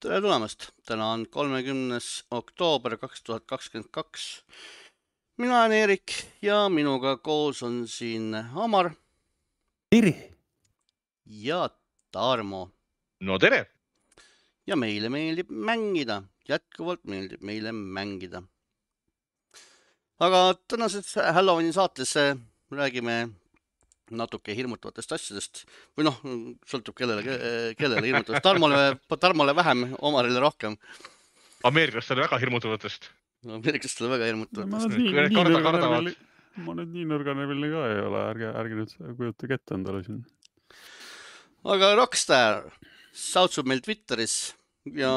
Tere tulemast! Täna on 30. oktoober 2022. Mina olen Eerik ja minuga koos on siin Amar Tere! ja Tarmo. No tere! Ja meile meeldib mängida. Jätkuvalt meeldib meile mängida. Aga tänases Halloweeni saates räägime natuke hirmutavatest asjadest. Või noh, sõltub kellele hirmutavast. Tarmole vähem, Omarile rohkem. Ameeriklastel väga hirmutavatest. Ameeriklastel väga hirmutavatest. Ma nüüd nii nõrganeviline ka ei ole. Ärge nüüd kujutage ette endale siin. Aga Rockstar sautsub meil Twitteris ja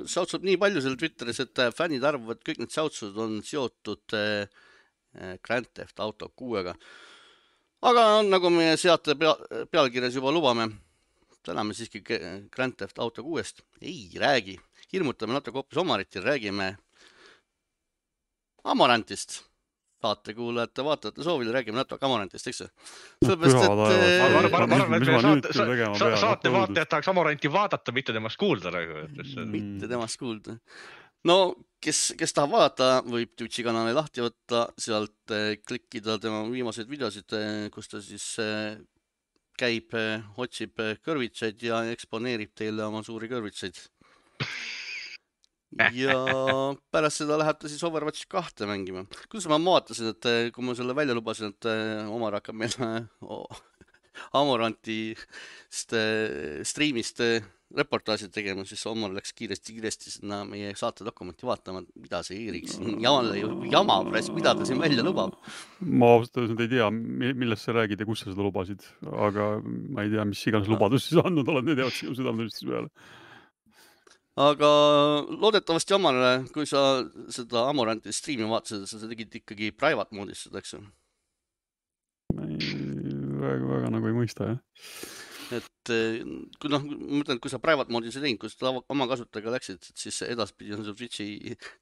sautsub nii palju seal Twitteris, et fännid arvavad, et kõik need sautsud on seotud Grand Theft Auto 6-ga. Aga nagu meie seate pealkirjas juba lubame, täna me siiski Grand Theft Auto 6-st ei räägi. Hirmutame natuke hoopis Omarit ja räägime Amorantist. Saatekuulajate, vaatajate soovile räägime natuke Amorantist, eks? Saate vaatajad tahaks Amoranti vaadata, mitte temast kuulda. Mitte temast kuulda. No, kes tahab vaadata, võib Twitchi kanali lahti võtta, sealt klikkida tema viimaseid videosid, kus ta siis käib, otsib kõrvitsaid ja eksponeerib teile oma suuri kõrvitsaid. Ja pärast seda läheb ta siis Overwatch 2 mängima. Kuidas ma vaatasin, et kui ma selle välja lubasin, et Omar hakkab meil Amoranti striimist reportaasid tegema, siis Omar läks kiiresti sinna meie saate dokumenti vaatama, mida see Eeriks jama, mida ta siin välja lubab. Ma ausalt ei tea, millest sa räägid ja kus sa seda lubasid, aga ma ei tea, mis iganes lubadus siis andnud oled, need jäävad sinu südametunnistusele peale. Aga loodetavasti Omarele, kui sa seda Amoranti striimi vaatasid, sa tegid ikkagi private moodis seda, eks? Väga nagu ei mõista, jah. Et ma mõtlen, kui sa private moodis ei teinud, kui sa oma kasutajaga läksid, siis edaspidi on see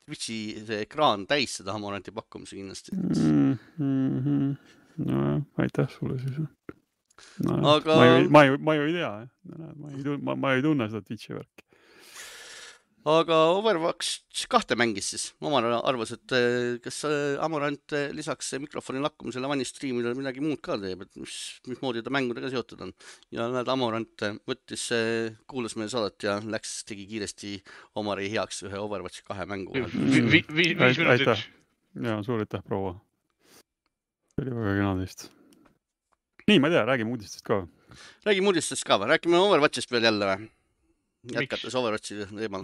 Twitchi see ekraan täis seda Amoranti pakkumisi kindlasti. No aitäh sulle siis. Aga... Ma ju ei tea, ma ei tunne seda Twitchi värki. Aga Overwatch 2 mängis siis. Omar arvas, et kas Amorant lisaks mikrofoni lakkumisele vanistriimile midagi muud ka teeb, et mismoodi ta mängudega seotud on. Ja näed, Amorant kuulas meie saadet ja tegi kiiresti Omari heaks ühe Overwatch 2 mängu. 5 minutit. Ja, suur aitäh, proua. See oli väga kena teist. Nii, ma ei tea, räägime uudistest ka. Räägime Overwatchist veel jälle või? Jätkates Overwatchi teemal.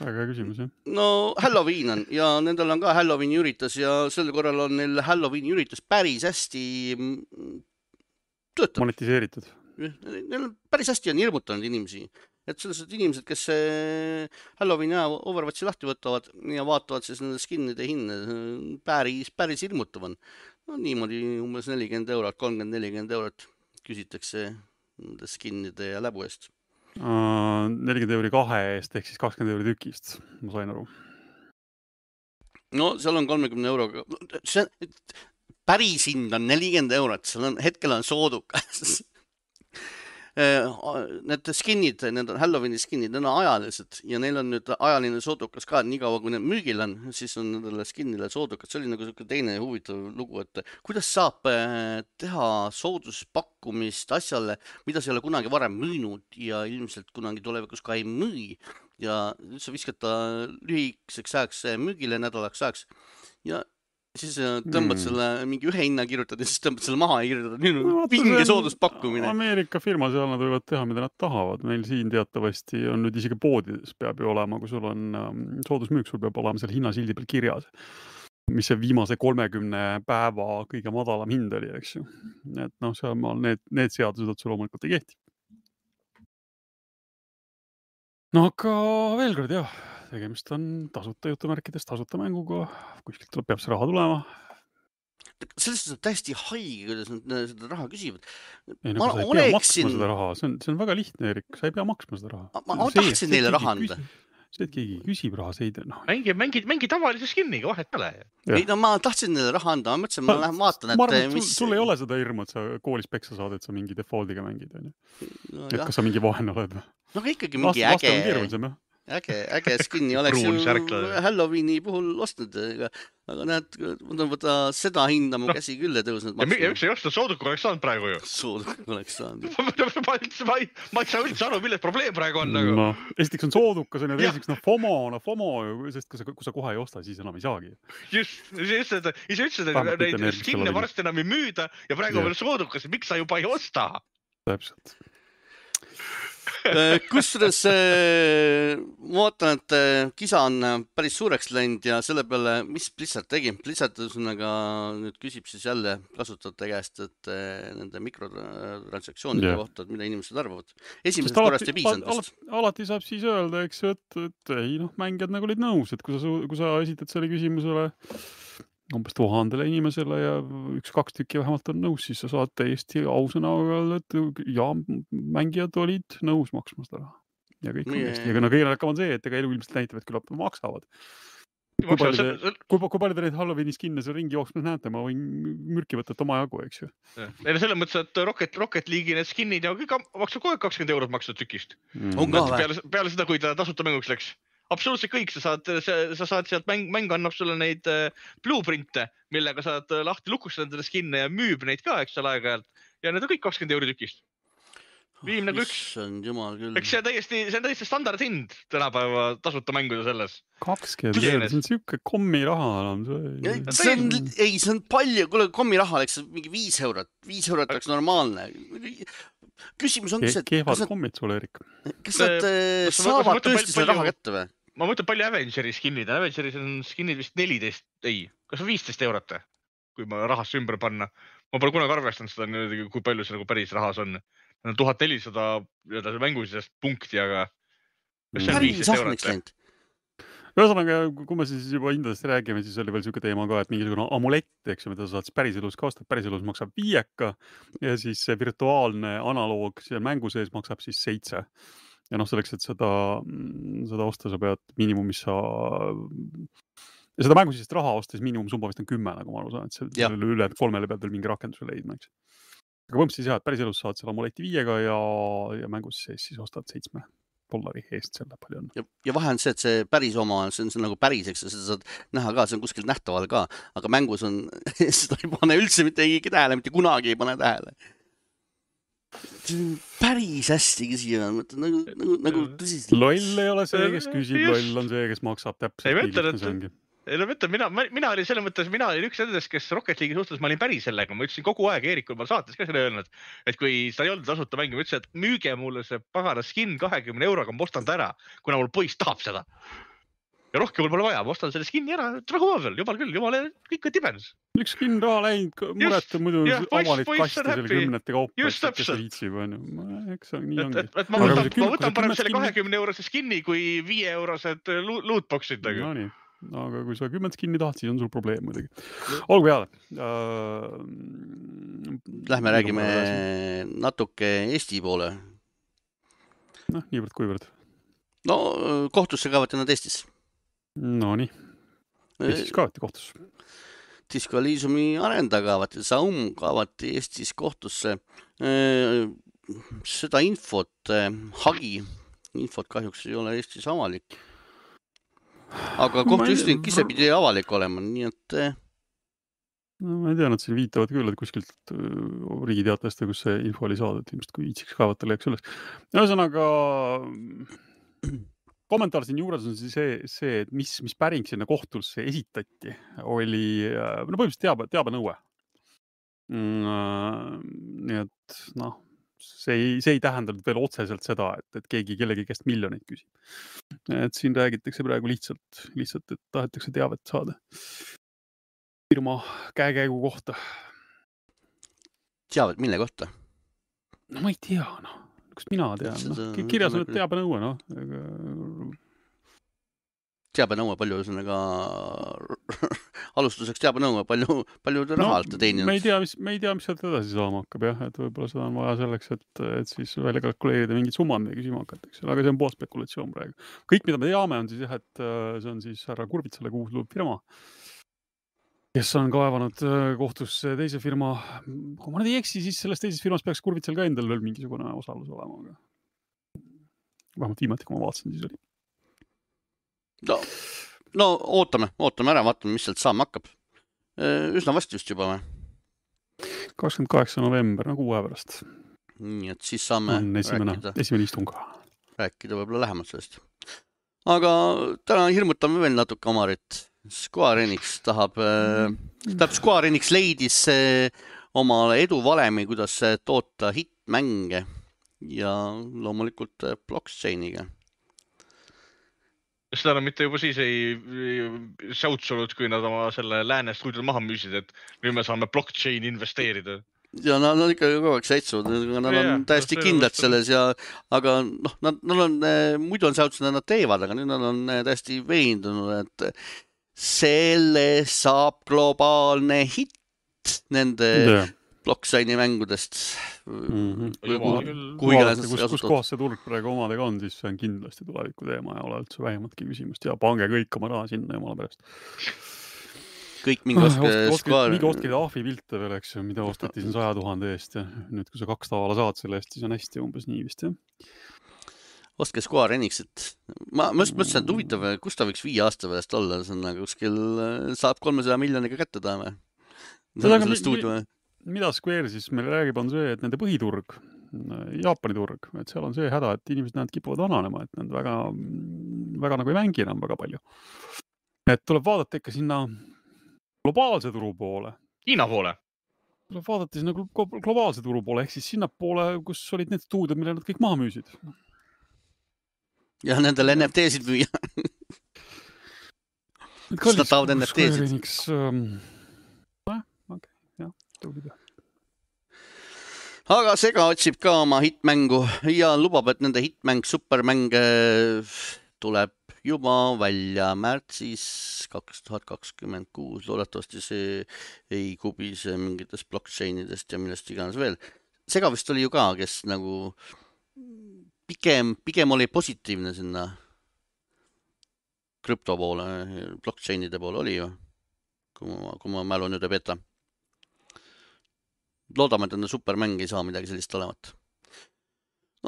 Väga küsimus, jah. No, Halloween on ja nendel on ka Halloweeni üritus ja sel korral on neil Halloweeni üritus päris hästi töötab. Monetiseeritud. Neil päris hästi on hirmutanud inimesi. Et sellised inimesed, kes Halloweeni ja Overwatchi lahti võtavad ja vaatavad siis nende skinnide hinne, päris hirmutav on. No niimoodi umbes 40 €, 30-40 € küsitakse nende skinnide ja läbu eest. 40 € 2 eest, ehk siis 20 € tükist, ma sain aru. No, seal on 30 €. Päris hind on 40 €, hetkel on soodukas. Need skinnid, need on Halloweeni skinnid, need on ajalised ja neil on nüüd ajaline soodukas ka, nii kaua kui need müügil on, siis on nendele skinnile soodukas. See oli nagu teine huvitav lugu, et kuidas saab teha sooduspakkumist asjale, mida sa ei ole kunagi varem müünud ja ilmselt kunagi tulevikus ka ei müü. Ja sa viskad ta lühikeseks ajaks müügile nädalaks ajaks ja siis tõmbad selle mingi ühe hinna kirjutad ja siis tõmbad selle maha ja kirjutad vinge sooduspakkumine. Ameerika firma seal nad võivad teha, mida nad tahavad. Meil siin teatavasti on nüüd isegi poodides peab ju olema, kui sul on soodusmüük, sul peab olema seal hinnasildi peal kirjas, mis see viimase 30 päeva kõige madalam hind oli, eks ju. Et noh, seal maal need seadused otse loomulikult ei kehti. No aga veel kord, jah. Tegemist on tasuta jutumärkides, tasuta mänguga, kuskilt peab see raha tulema. Sellest on täiesti haige, kuidas nad seda raha küsivad. Ei, nagu sa ei pea maksma seda raha, see on väga lihtne, Erik, sa ei pea maksma seda raha. Ma tahtsin neile raha anda. See, et keegi küsib raha, see ei tea. Mängi tavalise skinniga, vahet pole. Ei, no ma tahtsin neile raha anda, ma mõtlesin, ma lähen vaatan, et ma arvan, et sul ei ole seda hirmu, et sa koolis peksa saad, et sa mingi defaultiga mängid. Et kas sa mingi vahen oled? No ikkagi mingi äge. äge skinni oleks ju Halloweeni puhul ostnud, aga näed, võta seda hinda mu käsi küll ei tõusnud. Ja üks ei osta sooduk oleks saanud praegu ju. Sooduk oleks saanud. Ma ei saa üldse aru, milles probleem praegu on. No, esiteks on soodukas ja teiseks FOMO, sest kui sa kohe ei osta, siis enam ei saagi. Just, ise ütlesid, et neid skinne varsti enam ei müüda ja praegu veel soodukas, miks sa juba ei osta? Täpselt. Kusjuures ma vaatan, et kisa on päris suureks läinud ja selle peale, mis Blizzard tegi? Blizzard nüüd küsib siis jälle kasutajate käest, et nende mikrotransaktsioonide kohta, et mida inimesed arvavad. Esimesest korrast ei piisanud. Alati saab siis öelda, eks, et ei, mängijad nagu olid nõus, et kui sa esitad selle küsimusele umbes 1000 inimesele ja 1-2 tükki vähemalt on nõus, siis sa saad täiesti ausõna öelda, et ja mängijad olid nõus maksma seda raha. Ja kõik on hästi. Ja kõige on see, et elu ilmselt näitavad, küllap maksavad. Kui palju te neid Halloweeni skinne seal ringi jooksmas näete, ma võin mürki võtta, et oma jagu, eks ju. Selles mõttes, et Rocket League'i need skinnid ja kõik maksab kogu aeg 20 € maksud tükist. Peale seda, kui ta tasuta mänguks läks. Absoluutselt kõik, sa saad sealt mäng annab sulle neid blueprinte, millega saad lahti lukustada nendele skinne ja müüb neid ka, eks seal aeg-ajalt. Ja need on kõik 20 € tükist. Viim nagu üks. Eks see on täiesti standard hind tänapäeva tasuta mänguda selles. 20 €, see on siuke kommi raha enam. See on palju, kuule kommi raha oleks mingi 5 €. 5 € oleks normaalne. Küsimus on, kehvad kommid sulle, Erik. Kas nad saavad tõesti selle raha kätte või? Ma mõtlen palju Avengeri skinnid. Avengeris on skinnid vist 14, kas on 15 €, kui ma rahasse ümber panna. Ma pole kunagi arvestanud seda, kui palju see nagu päris rahas on. 1400 mängusest punkti, aga kas see on 15 €? Ühesõnaga, kui me siis juba hindadest räägime, siis oli veel siuke teema ka, et mingisugune amulett, eks ju, mida sa saad päriselus ka osta. Päriselus maksab 5 ja siis see virtuaalne analoog seal mängu sees maksab siis 7. Ja selleks, et seda osta, sa pead miinimumis ja seda mängu siis raha ostes miinimumsumma vist on 10, nagu ma aru saan, et selle üle 3 pead veel mingi rakenduse leidma, eks. Aga põhimõtteliselt jah, et päriselus saad selle amuleti 5 ja mängus sees siis ostad 7 $. Eest selle palju on. Ja vahe on see, et see päris oma, see on nagu päris, eks seda saad näha ka, see on kuskilt nähtaval ka, aga mängus on, seda ei pane üldse mitte tähele, mitte kunagi ei pane tähele. Päris hästi küsija, nagu tõsiselt. Loll ei ole see, kes küsib, loll on see, kes maksab täpselt. Mina olin selle mõttes, mina olin üks nendest, kes Rocket League'i suhtes, ma olin päris sellega, ma ütlesin kogu aeg Eerikul, ma saates ka selle öelnud, et kui sa ei olnud tasuta mängi, ma ütlesin, et müüge mulle see pagana skin 20 €, ma ostan ta ära, kuna mul poiss tahab seda. Ja rohkem mul pole vaja, ma ostan selle skinni ära, rahu veel, jumal küll, jumal, kõik on tibens. Üks skin raha läinud, murete muidu avalit kasti selle 10 kaupa, kes viitsib, eks nii ongi. Ma võtan parem selle 20 € skinni kui 5 € lootboxid. No nii. Aga kui sa 10 skinni tahad, siis on sul probleem muidugi. Olgu peale. Lähme räägime natuke Eesti poole. Niivõrd kuivõrd. No, kohtusse kaevati nad Eestis. No nii. Eestis kaevati kohtusse. Disco Elysiumi arendaja kaevati, Saum kaevati Eestis kohtusse. Seda infot kahjuks ei ole Eestis avalik. Aga kohtuistung ise pidi avalik olema, nii et... No ma ei tea, nad siin viitavad küll, et kuskilt riigiteatest, kus see info oli saadud, ilmselt kui itsiks kaevata leiaks üles. Ühesõnaga, kommentaar siin juures on see, et mis päring sinna kohtusse esitati, oli põhimõtteliselt teabenõue. Nii et see ei tähendanud veel otseselt seda, et keegi kellegi käest miljoneid küsib. Et siin räägitakse praegu lihtsalt, et tahetakse teavet saada firma käekäigu kohta. Teavet mille kohta? No ma ei tea, Kas mina tean? Kirjas on teabenõue, Teabenõue palju ühesõnaga alustuseks teabenõue palju raha alt teeninud. Me ei tea, mis sealt edasi saama hakkab, jah, et võib-olla seda on vaja selleks, et siis välja kalkuleerida mingid summad või küsima hakata, aga see on pool spekulatsioon praegu. Kõik, mida me teame, on siis jah, et see on siis härra Kurvitsale kuuluv firma, kes on kaevanud kohtusse teise firma. Kui ma nüüd ei eksi, siis selles teises firmas peaks Kurvitsal ka endal veel mingisugune osalus olema, aga vähemalt viimati, kui ma vaatasin, siis oli. No ootame ära, vaatame, mis sealt saama hakkab. Üsna vast just juba või? 28. november, no 6 päeva pärast. Nii, et siis saame on esimene istung. Rääkida võib-olla lähemalt sellest. Aga täna hirmutame veel natuke Omarit. Square Enix Square Enix leidis omale eduvalemi, kuidas toota hittmänge ja loomulikult blockchainiga. Seda nad mitte juba siis ei säutsunud, kui nad oma selle lääne stuudiol maha müüsid, et nüüd me saame blockchain investeerida. Ja nad on ikka kogu aeg säitsuvad, nad on täiesti kindlad selles aga nad on, muidu on säutsunud, nad teevad, aga nüüd nad on täiesti veendunud, et selle saab globaalne hitt nende blockchaini mängudest. Kus kohas see turg praegu omadega on, siis see on kindlasti tuleviku teema ja ole üldse vähematki küsimust ja pange kõik oma raha sinna jumala pärast. Kõik mingi ostke ahvi pilte veel, eks ju, mida osteti siin 100 000 eest ja nüüd, kui sa 2 tavala saad selle eest, siis on hästi umbes nii vist, jah. Ostke Square Enixit. Ma mõtlesin, et huvitav, kus ta võiks 5 aasta pärast olla, see on kuskil saab 300 miljoniga kätte taame. Mida Square siis meil räägib, on see, et nende põhiturg, Jaapani turg, et seal on see häda, et inimesed näed kipuvad vananema, et nad väga nagu ei mängi enam väga palju. Et tuleb vaadata ikka sinna globaalse turu poole. Hiina poole. Tuleb vaadata sinna globaalse turu poole, ehk siis sinna poole, kus olid need stuudiod, mille nad kõik maha müüsid. Ja nendel NFT-sid müüa. Seda tahavad NFT-sid. Aga Sega otsib ka oma hitmängu ja lubab, et nende hitmäng supermäng tuleb juba välja märtsis 2026. Loodetavasti see ei kubise mingitest blockchainidest ja millest iganes veel. Sega vist oli ju ka, kes nagu pigem oli positiivne sinna krüpto poole, blockchainide poole oli ju, kui ma mälu nüüd ei peta. Loodame, et enda supermäng ei saa midagi sellist olevat.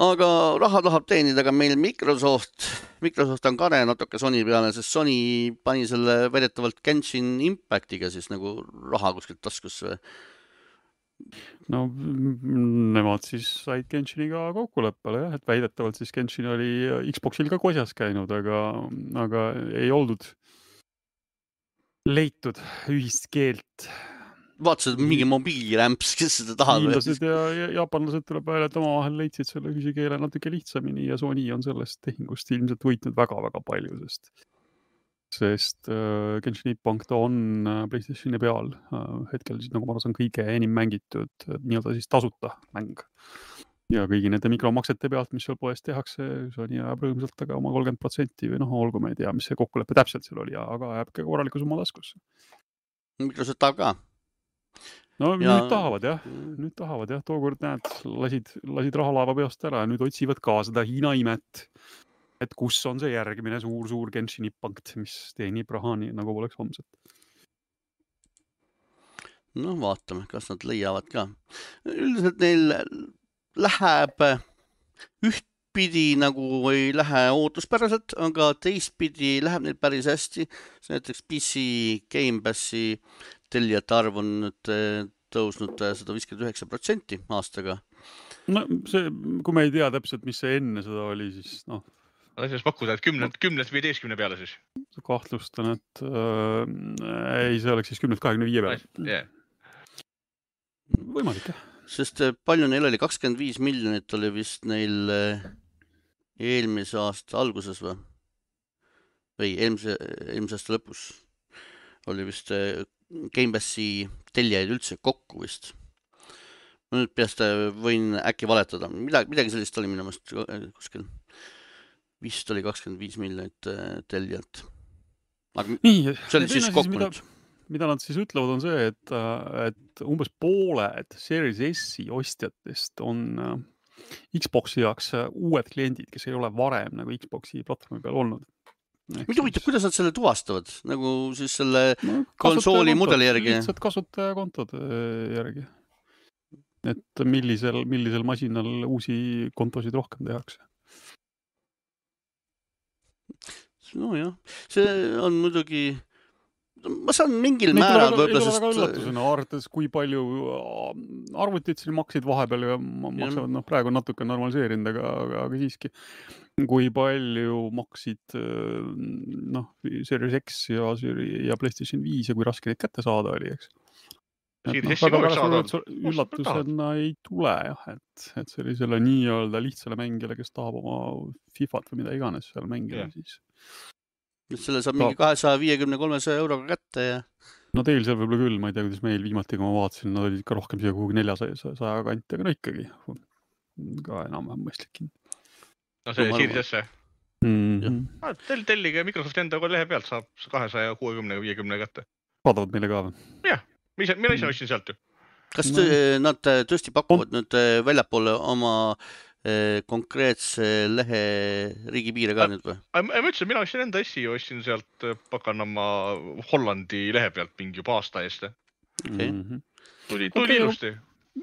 Aga raha tahab teenida ka meil Microsoft. Microsoft on kare natuke Sony peale, sest Sony pani selle väidetavalt Genshin Impactiga siis nagu raha kuskilt taskusse. No nemad siis said Genshiniga kokkuleppele, jah, et väidetavalt siis Genshin oli Xboxil ka kosjas käinud, aga ei oldud leitud ühist keelt. Vaatasid mingi mobiilirämps, kes seda tahab. Hiinlased ja jaapanlased tuleb välja, et omavahel leidsid selle ühise keele natuke lihtsamini ja Sony on sellest tehingust ilmselt võitnud väga-väga palju, sest Genshin Impact on PlayStationi peal hetkel siis, nagu ma arvan, kõige enim mängitud nii-öelda siis tasuta mäng. Ja kõigi nende mikromaksete pealt, mis seal poes tehakse, Sony jääb rõõmsalt aga oma 30% või olgu me ei tea, mis see kokkulepe täpselt seal oli, aga jääb ka korraliku summa taskusse. Microsoft tahab ka. No nüüd tahavad jah, tookord näed, lasid rahalaeva peast ära ja nüüd otsivad ka seda Hiina imet, et kus on see järgmine suur Genshin Impact, mis teenib raha nii, nagu poleks homset. No vaatame, kas nad leiavad ka. Üldiselt neil läheb ühtpidi nagu ei lähe ootuspäraselt, aga teistpidi läheb neil päris hästi. Näiteks PC Game Passi tellijate arv on nüüd tõusnud 159% aastaga. No see, kui me ei tea täpselt, mis see enne seda oli, siis Siis pakkuda, et 10-15 peale siis. Kahtlustan, et ei, see oleks siis 10-25 peale. Yeah. Võimalik, jah. Sest palju neil oli? 25 miljonit oli vist neil eelmise aasta alguses või? Või eelmise aasta lõpus oli vist Game Passi tellijaid üldse kokku vist. Ma nüüd peast võin äkki valetada. Midagi sellist oli minu meelest kuskil. Vist oli 25 miljonit tellijat. Aga nii, see oli siis kokku nüüd. Mida nad siis ütlevad on see, et umbes pooled Series S-i ostjatest on Xboxi jaoks uued kliendid, kes ei ole varem nagu Xboxi platvormi peal olnud. Mida huvitav, kuidas nad selle tuvastavad? Nagu siis selle konsooli mudeli järgi? Lihtsalt kasutajakontod järgi. Et millisel masinal uusi kontosid rohkem tehakse. nojah, see on muidugi, ma saan mingil Neid määral ei võib-olla, tule väga sest üllatusena, arvates kui palju arvutid siin maksid vahepeal ja maksavad, praegu on natuke normaliseerinud, aga siiski, kui palju maksid Series X ja PlayStation 5 ja kui raske neid kätte saada oli, eks. Väga üllatusena ei tule jah, et sellisele nii-öelda lihtsale mängijale, kes tahab oma FIFAt või mida iganes seal mängida, siis selle saab mingi 250-300 euroga kätte ja no teil seal võib-olla küll, ma ei tea, kuidas meil viimati, kui ma vaatasin, nad olid ikka rohkem siia kuhugi 400 kanti, aga no ikkagi ka enam-vähem mõistlik. No see Series S. Tellige Microsofti enda lehe pealt saab 260-50 kätte. Vaadavad meile ka või? Jah, mina ise ostsin sealt ju. Kas nad tõesti pakuvad nüüd väljapoole oma konkreetse lehe riigipiire ka nüüd või? Ma ütlesin, mina ostsin enda SI ja ostsin sealt pakanama Hollandi lehe pealt mingi juba aasta eest. Tuli ilusti.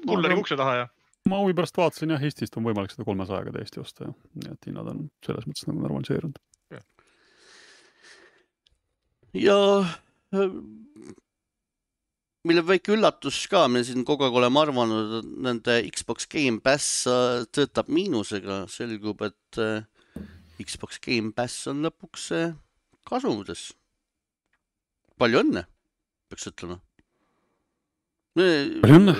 Kulleri ukse taha ja. Ma huvi pärast vaatasin jah, Eestist on võimalik seda 300-ga täiesti osta. Nii et hinnad on selles mõttes nagu normaliseerunud. Ja mille väike üllatus ka, me siin kogu aeg oleme arvanud, et nende Xbox Game Pass töötab miinusega. Selgub, et Xbox Game Pass on lõpuks kasumides. Palju õnne, peaks ütlema. Palju õnne?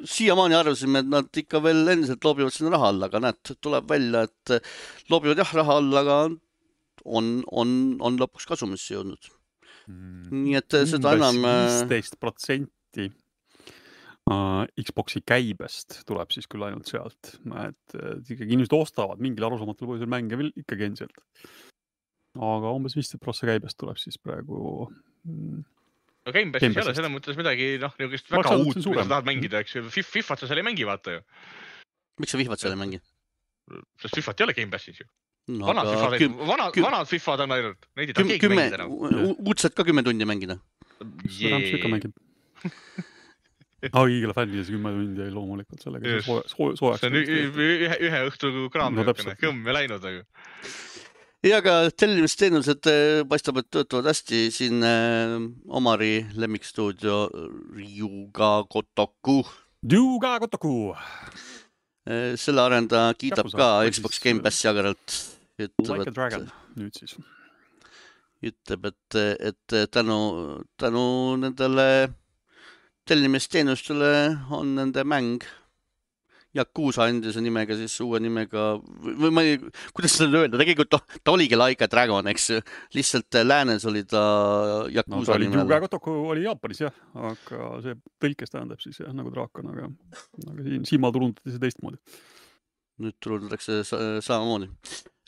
Siiamaani arvasime, et nad ikka veel endiselt loobivad sinna raha alla, aga näed, tuleb välja, et loobivad jah raha alla, aga on lõpuks kasumisse jõudnud. Nii et seda enam 15% Xboxi käibest tuleb siis küll ainult sealt, et ikkagi inimesed ostavad mingil arusaamatul põhjusel mänge veel ikkagi endiselt, aga umbes 15% käibest tuleb siis praegu no Game Passis ei ole selles mõttes midagi niisugust väga uut, mida sa tahad mängida, eks ju. FIFAt sa seal ei mängi, vaata ju. Miks sa FIFAt seal ei mängi? Sest FIFAt ei ole Game Passis ju. Vanad FIFAd on ainult. Neid ei taha keegi mängida enam. Uudselt ka 10 tundi mängida. Igale fännides 10 tundi ei loomulikult sellega soojaks. See on ühe õhtu kraam kõmm ja läinud. Ja aga tellimisteenused paistab, et töötavad hästi siin Omari lemmikstuudio Ryuga Gotoku. Selle arendaja kiidab ka Xbox Game Passi agaralt. Like a Dragon nüüd siis. Ütleb, et tänu nendele tellimisteenustele on nende mäng Yakuza endise nimega, siis uue nimega, või ma ei, kuidas seda öelda, tegelikult ta oligi Like a Dragon, eks lihtsalt läänes oli ta Yakuza nimel. Gotoku oli Jaapanis jah, aga see tõlkes tähendab siis jah, nagu draakon, aga siin turundati see teistmoodi. Nüüd turundatakse samamoodi.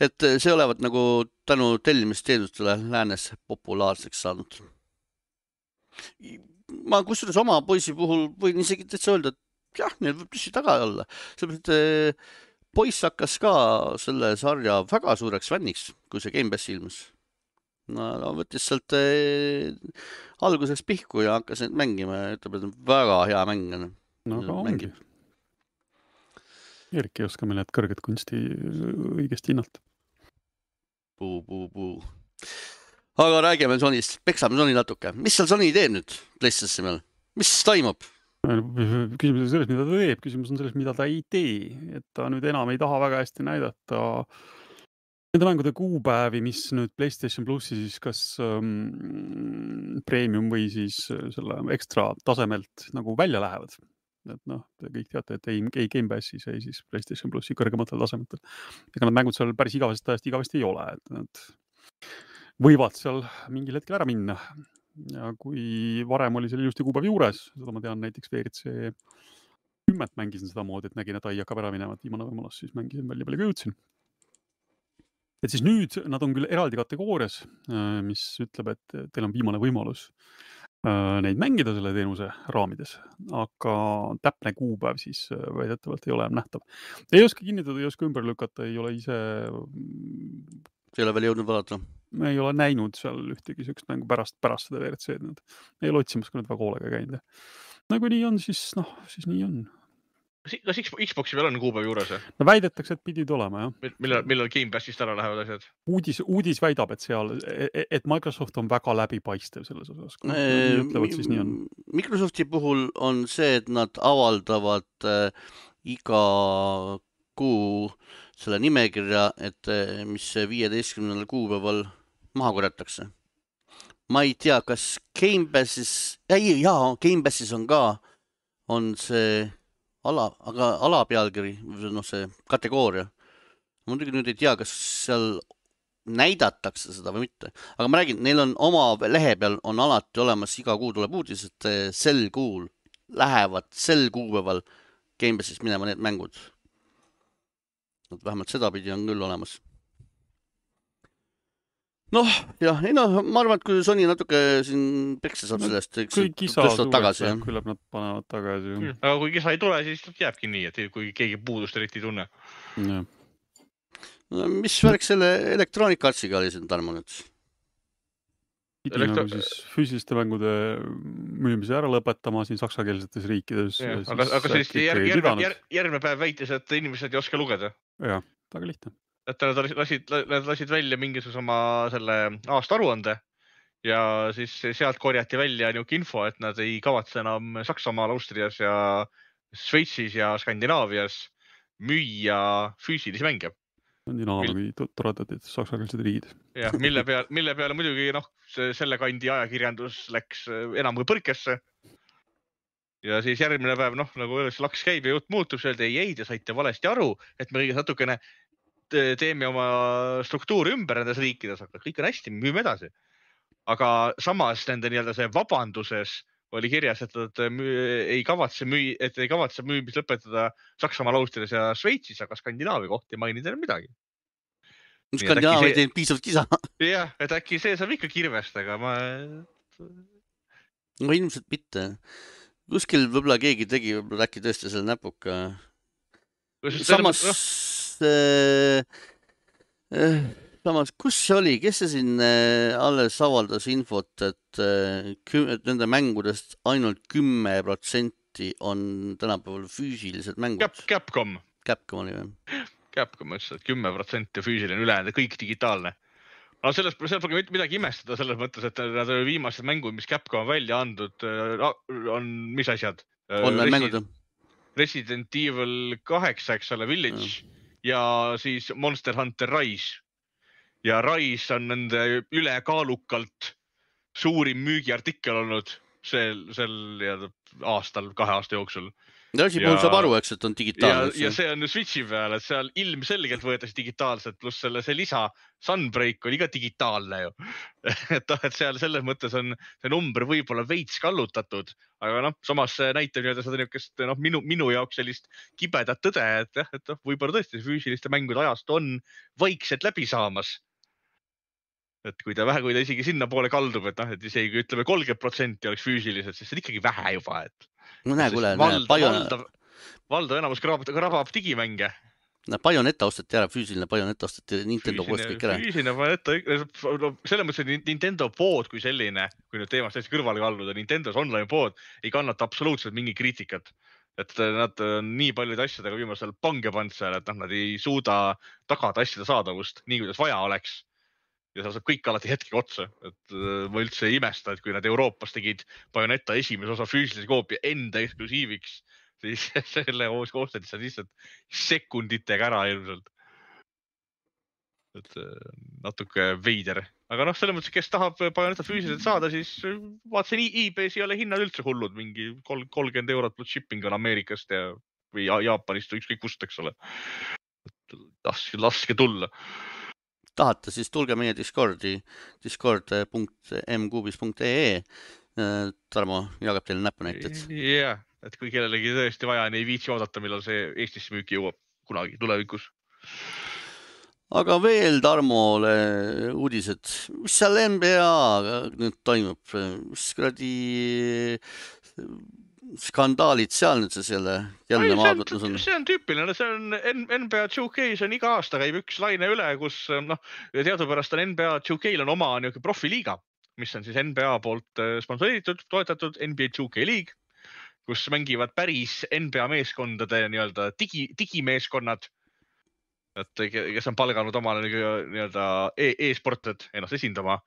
Et see olevat nagu tänu tellimisteenustele läänes populaarseks saanud. Ma kusjuures oma poisi puhul võin isegi täitsa öelda, et jah, neil võib tõsi taga olla. Sellepärast, et poiss hakkas ka selle sarja väga suureks fänniks, kui see Game Pass ilmus. No, võttis sealt alguseks pihku ja hakkas neid mängima ja ütleb, et väga hea mäng. No aga ongi. Erki ei oska meil need kõrged kunsti õigesti hinnata. Puu. Aga räägime Sonyst. Peksame Sony natuke. Mis seal Sony teeb nüüd PlayStation meil? Mis toimub? Küsimus on selles, mida ta teeb. Küsimus on selles, mida ta ei tee. Et ta nüüd enam ei taha väga hästi näidata nende mängude kuupäevi, mis nüüd PlayStation Plussi siis kas premium või siis selle ekstra tasemelt nagu välja lähevad. Et te kõik teate, et ei Game Passis, ei siis PlayStation Plussi kõrgematel tasemetel. Ega need mängud seal päris igavesti ei ole, et nad võivad seal mingil hetkel ära minna. Ja kui varem oli selle ilusti kuupäev juures, seda ma tean näiteks VRC 10 mängisin seda moodi, et nägin, et hakkab ära minema, et viimane võimalus, siis mängisin välja palju jõudsin. Et siis nüüd nad on küll eraldi kategoorias, mis ütleb, et teil on viimane võimalus neid mängida selle teenuse raamides, aga täpne kuupäev siis väidetavalt ei ole nähtav. Ei oska kinnitada, ei oska ümber lükata, ei ole ise... Ei ole veel jõudnud vaadata? Me ei ole näinud seal ühtegi sellist mängu pärast seda VRC-d. Ei ole otsimas, kui need väga hoolega käinud. Nagu nii on, siis nii on. Kas Xboxi peal on kuupäev juures? No väidetakse, et pidid olema, jah. Millal Game Passist ära lähevad asjad? Uudis väidab, et Microsoft on väga läbipaistev selles osas. Nii ütlevad, siis nii on. Microsofti puhul on see, et nad avaldavad iga kuu selle nimekirja, et mis 15. kuupäeval maha korjatakse. Ma ei tea, kas Game Passis, Game Passis on ka, on see aga alapealkiri, see kategooria. Ma muidugi nüüd ei tea, kas seal näidatakse seda või mitte. Aga ma räägin, neil on oma lehe peal on alati olemas, iga kuu tuleb uudis, et sel kuul lähevad sel kuupäeval Game Passis minema need mängud. Vähemalt seda pidi on küll olemas. Jah, ma arvan, et kui Sony natuke siin peksa saab sellest, kui kisa tagasi, küllap nad panevad tagasi. Aga kui kisa ei tule, siis jääbki nii, et kui keegi puudust eriti ei tunne. Ja. Mis värk selle Electronic Artsiga oli siin Tarmo nüüd? Pidi nagu siis füüsiliste mängude müümise ära lõpetama siin saksakeelsetes riikides. Aga sellist järgmine päev väitis, et inimesed ei oska lugeda. Jah, väga lihtne. Et nad lasid välja mingisuguse oma selle aasta aruande ja siis sealt korjati välja niuke info, et nad ei kavatse enam Saksamaal, Austrias ja Šveitsis ja Skandinaavias müüa füüsilisi mänge. Skandinaavia toredad saksakeelsed riigid. Ja, mille peale muidugi selle kandi ajakirjandus läks enam kui põrkesse. Ja siis järgmine päev, nagu laks käib ja jutt muutub, see ei, te saite valesti aru, et me kõigest natukene teeme oma struktuuri ümber nendes riikides, aga kõik on hästi, me müüme edasi. Aga samas nende see vabanduses oli kirjas, et nad ei kavatse müümis lõpetada Saksamaal, Austrias ja Šveitsis, aga Skandinaavia kohta ei maini teile midagi. Skandinaavia ei teinud piisavalt kisa. Jah, et äkki see saab ikka kirvest, aga No ilmselt mitte. Kuskil võib-olla keegi tegi äkki tõesti selle näpuka. Samas, kus see oli? Kes see siin alles avaldas infot, et nende mängudest ainult 10% on tänapäeval füüsilised mängud? Capcom oli või? Capcom ütles, et 10% füüsiline ülejäänud, kõik digitaalne. No seal pole midagi imestada selles mõttes, et nad viimased mängud, mis Capcom on välja andnud, on mis asjad? Online mängud. Resident Evil 8, eks ole, Village ja siis Monster Hunter Rise. Ja Rise on nende ülekaalukalt suurim müügiartikkel olnud sel aastal, 2 aasta jooksul. Ja asi puhul saab aru, eks, et on digitaalne. Ja see on Switchi peal, et seal ilmselgelt võetakse digitaalselt, pluss see lisa Sunbreak oli ka digitaalne ju. Et seal selles mõttes on see number võib-olla veits kallutatud, aga samas näitab seda niukest minu jaoks sellist kibedat tõde, et võib-olla tõesti füüsiliste mängude ajast on vaikselt läbi saamas. Et kui ta isegi sinna poole kaldub, et isegi ütleme 30% oleks füüsilised, siis see on ikkagi vähe juba, et valdav enamus krabab digimänge. Bayonetta ostati ära, füüsiline Bayonetta ostati Nintendo poest kõik ära. Füüsiline Bayonetta, selles mõttes, et Nintendo pood kui selline, kui nüüd teemast täiesti kõrvale kalluda, Nintendos online pood ei kannata absoluutselt mingi kriitikat. Et nad on nii paljude asjadega viimasel pange pannud seal, et nad ei suuda tagada asjade saadavust nii, kuidas vaja oleks. Ja seal saab kõik alati hetkega otsa, et ma üldse ei imesta, et kui nad Euroopas tegid Bayonetta esimese osa füüsilise koopia enda eksklusiiviks, siis selle koostati seal lihtsalt sekunditega ära ilmselt. Et natuke veider. Aga selles mõttes, kes tahab Bayonetta füüsiliselt saada, siis vaatasin eBay's ei ole hinnad üldse hullud, mingi 30 eurot plus shipping on Ameerikast või Jaapanist või ükskõik kust, eks ole. Laske tulla. Tahate, siis tulge meie Discordi, discord.mcubis.ee. Tarmo jagab teile näpunäited. Jah, et kui kellelegi tõesti vaja, ei viitsi oodata, millal see Eestisse müüki jõuab kunagi tulevikus. Aga veel Tarmole uudised. Mis seal NBA nüüd toimub? Mis kuradi skandaalid seal nüüd jälle maavõtlus on? See on tüüpiline, see on NBA 2K-s on iga aasta käib üks laine üle, kus teadupärast on NBA 2K-l on oma profiliiga, mis on siis NBA poolt sponsoritud, toetatud NBA 2K League, kus mängivad päris NBA meeskondade nii-öelda digimeeskonnad, et kes on palganud omale nii-öelda e-sportlased ennast esindama.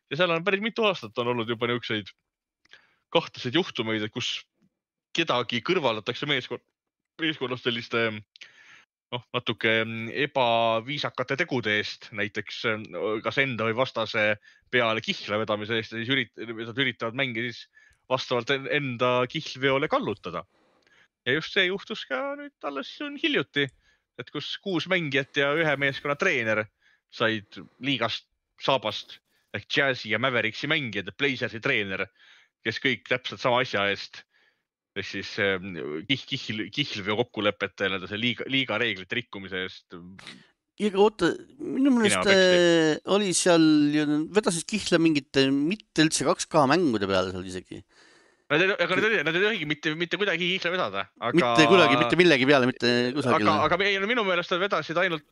Ja seal on päris mitu aastat on olnud juba niisuguseid kahtlaseid juhtumeid, et kus kedagi kõrvaldatakse meeskonnast selliste natuke ebaviisakate tegude eest, näiteks kas enda või vastase peale kihla vedamise eest ja siis üritavad mängi siis vastavalt enda kihlveole kallutada. Ja just see juhtus ka nüüd alles hiljuti, et kus 6 mängijat ja 1 meeskonna treener said liigast saabast ehk Jazzi ja Mavericksi mängijad ja Blazersi treener, kes kõik täpselt sama asja eest ehk siis kihlveo kokkulepete see liiga reeglite rikkumise eest. Ja oota, minu mõnest oli seal, vedasid kihla mingite mitte üldse 2K mängude peale seal isegi. Aga nad ei tohigi mitte kuidagi kihla vedada. Mitte kuidagi, mitte millegi peale, mitte kusagile. Aga minu meelest nad vedasid ainult,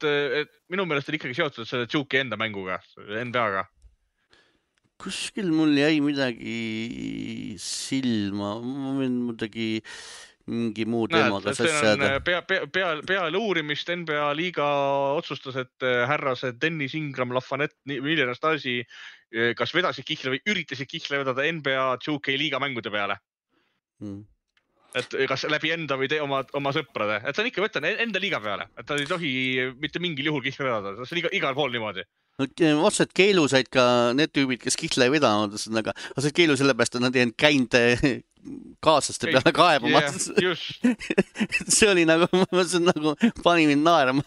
minu meelest oli ikkagi seotud selle Juki enda mänguga, NBA-ga. Kuskil mul jäi midagi silma, ma võin muidugi mingi muu teemaga sasjada. Peale uurimist NBA liiga otsustas, et härrased Dennis Ingram, Lafanette, Miller Stasi kas vedasid kihla või üritasid kihla vedada NBA 2K liiga mängude peale. Et kas läbi enda või oma sõprade. Et see on ikka võtta enda liiga peale, et ta ei tohi mitte mingil juhul kihla vedada. See on igal pool niimoodi. Otseselt keelu said ka need tüübid, kes kihla ei vedanud, aga said keelu sellepärast, et nad ei käinud kaaslaste peale kaebama. See oli nagu, pani mind naerama.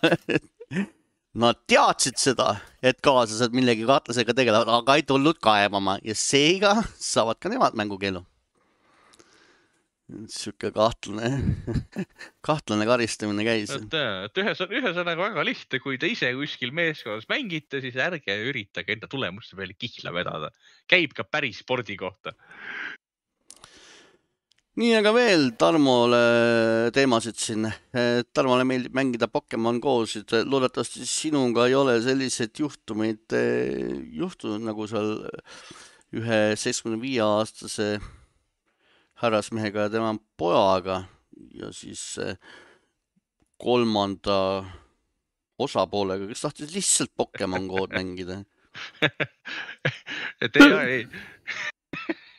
Nad teadsid seda, et kaaslased millegi kahtlasega tegelevad, aga ei tulnud kaebama ja seega saavad ka nemad mängukeelu. Siuke kahtlane karistamine käis. Et ühesõnaga väga lihtne, kui te ise kuskil meeskonnas mängite, siis ärge üritage enda tulemuste peale kihla vedada. Käib ka päris spordi kohta. Nii, aga veel Tarmole teemasid siin. Tarmole meeldib mängida Pokemon Go'sid. Loodetavasti sinuga ei ole sellised juhtumeid juhtunud nagu seal ühe 75-aastase härrasmehega ja tema pojaga ja siis 3. osapoolega, kes tahtis lihtsalt Pokemon Go'd mängida. Et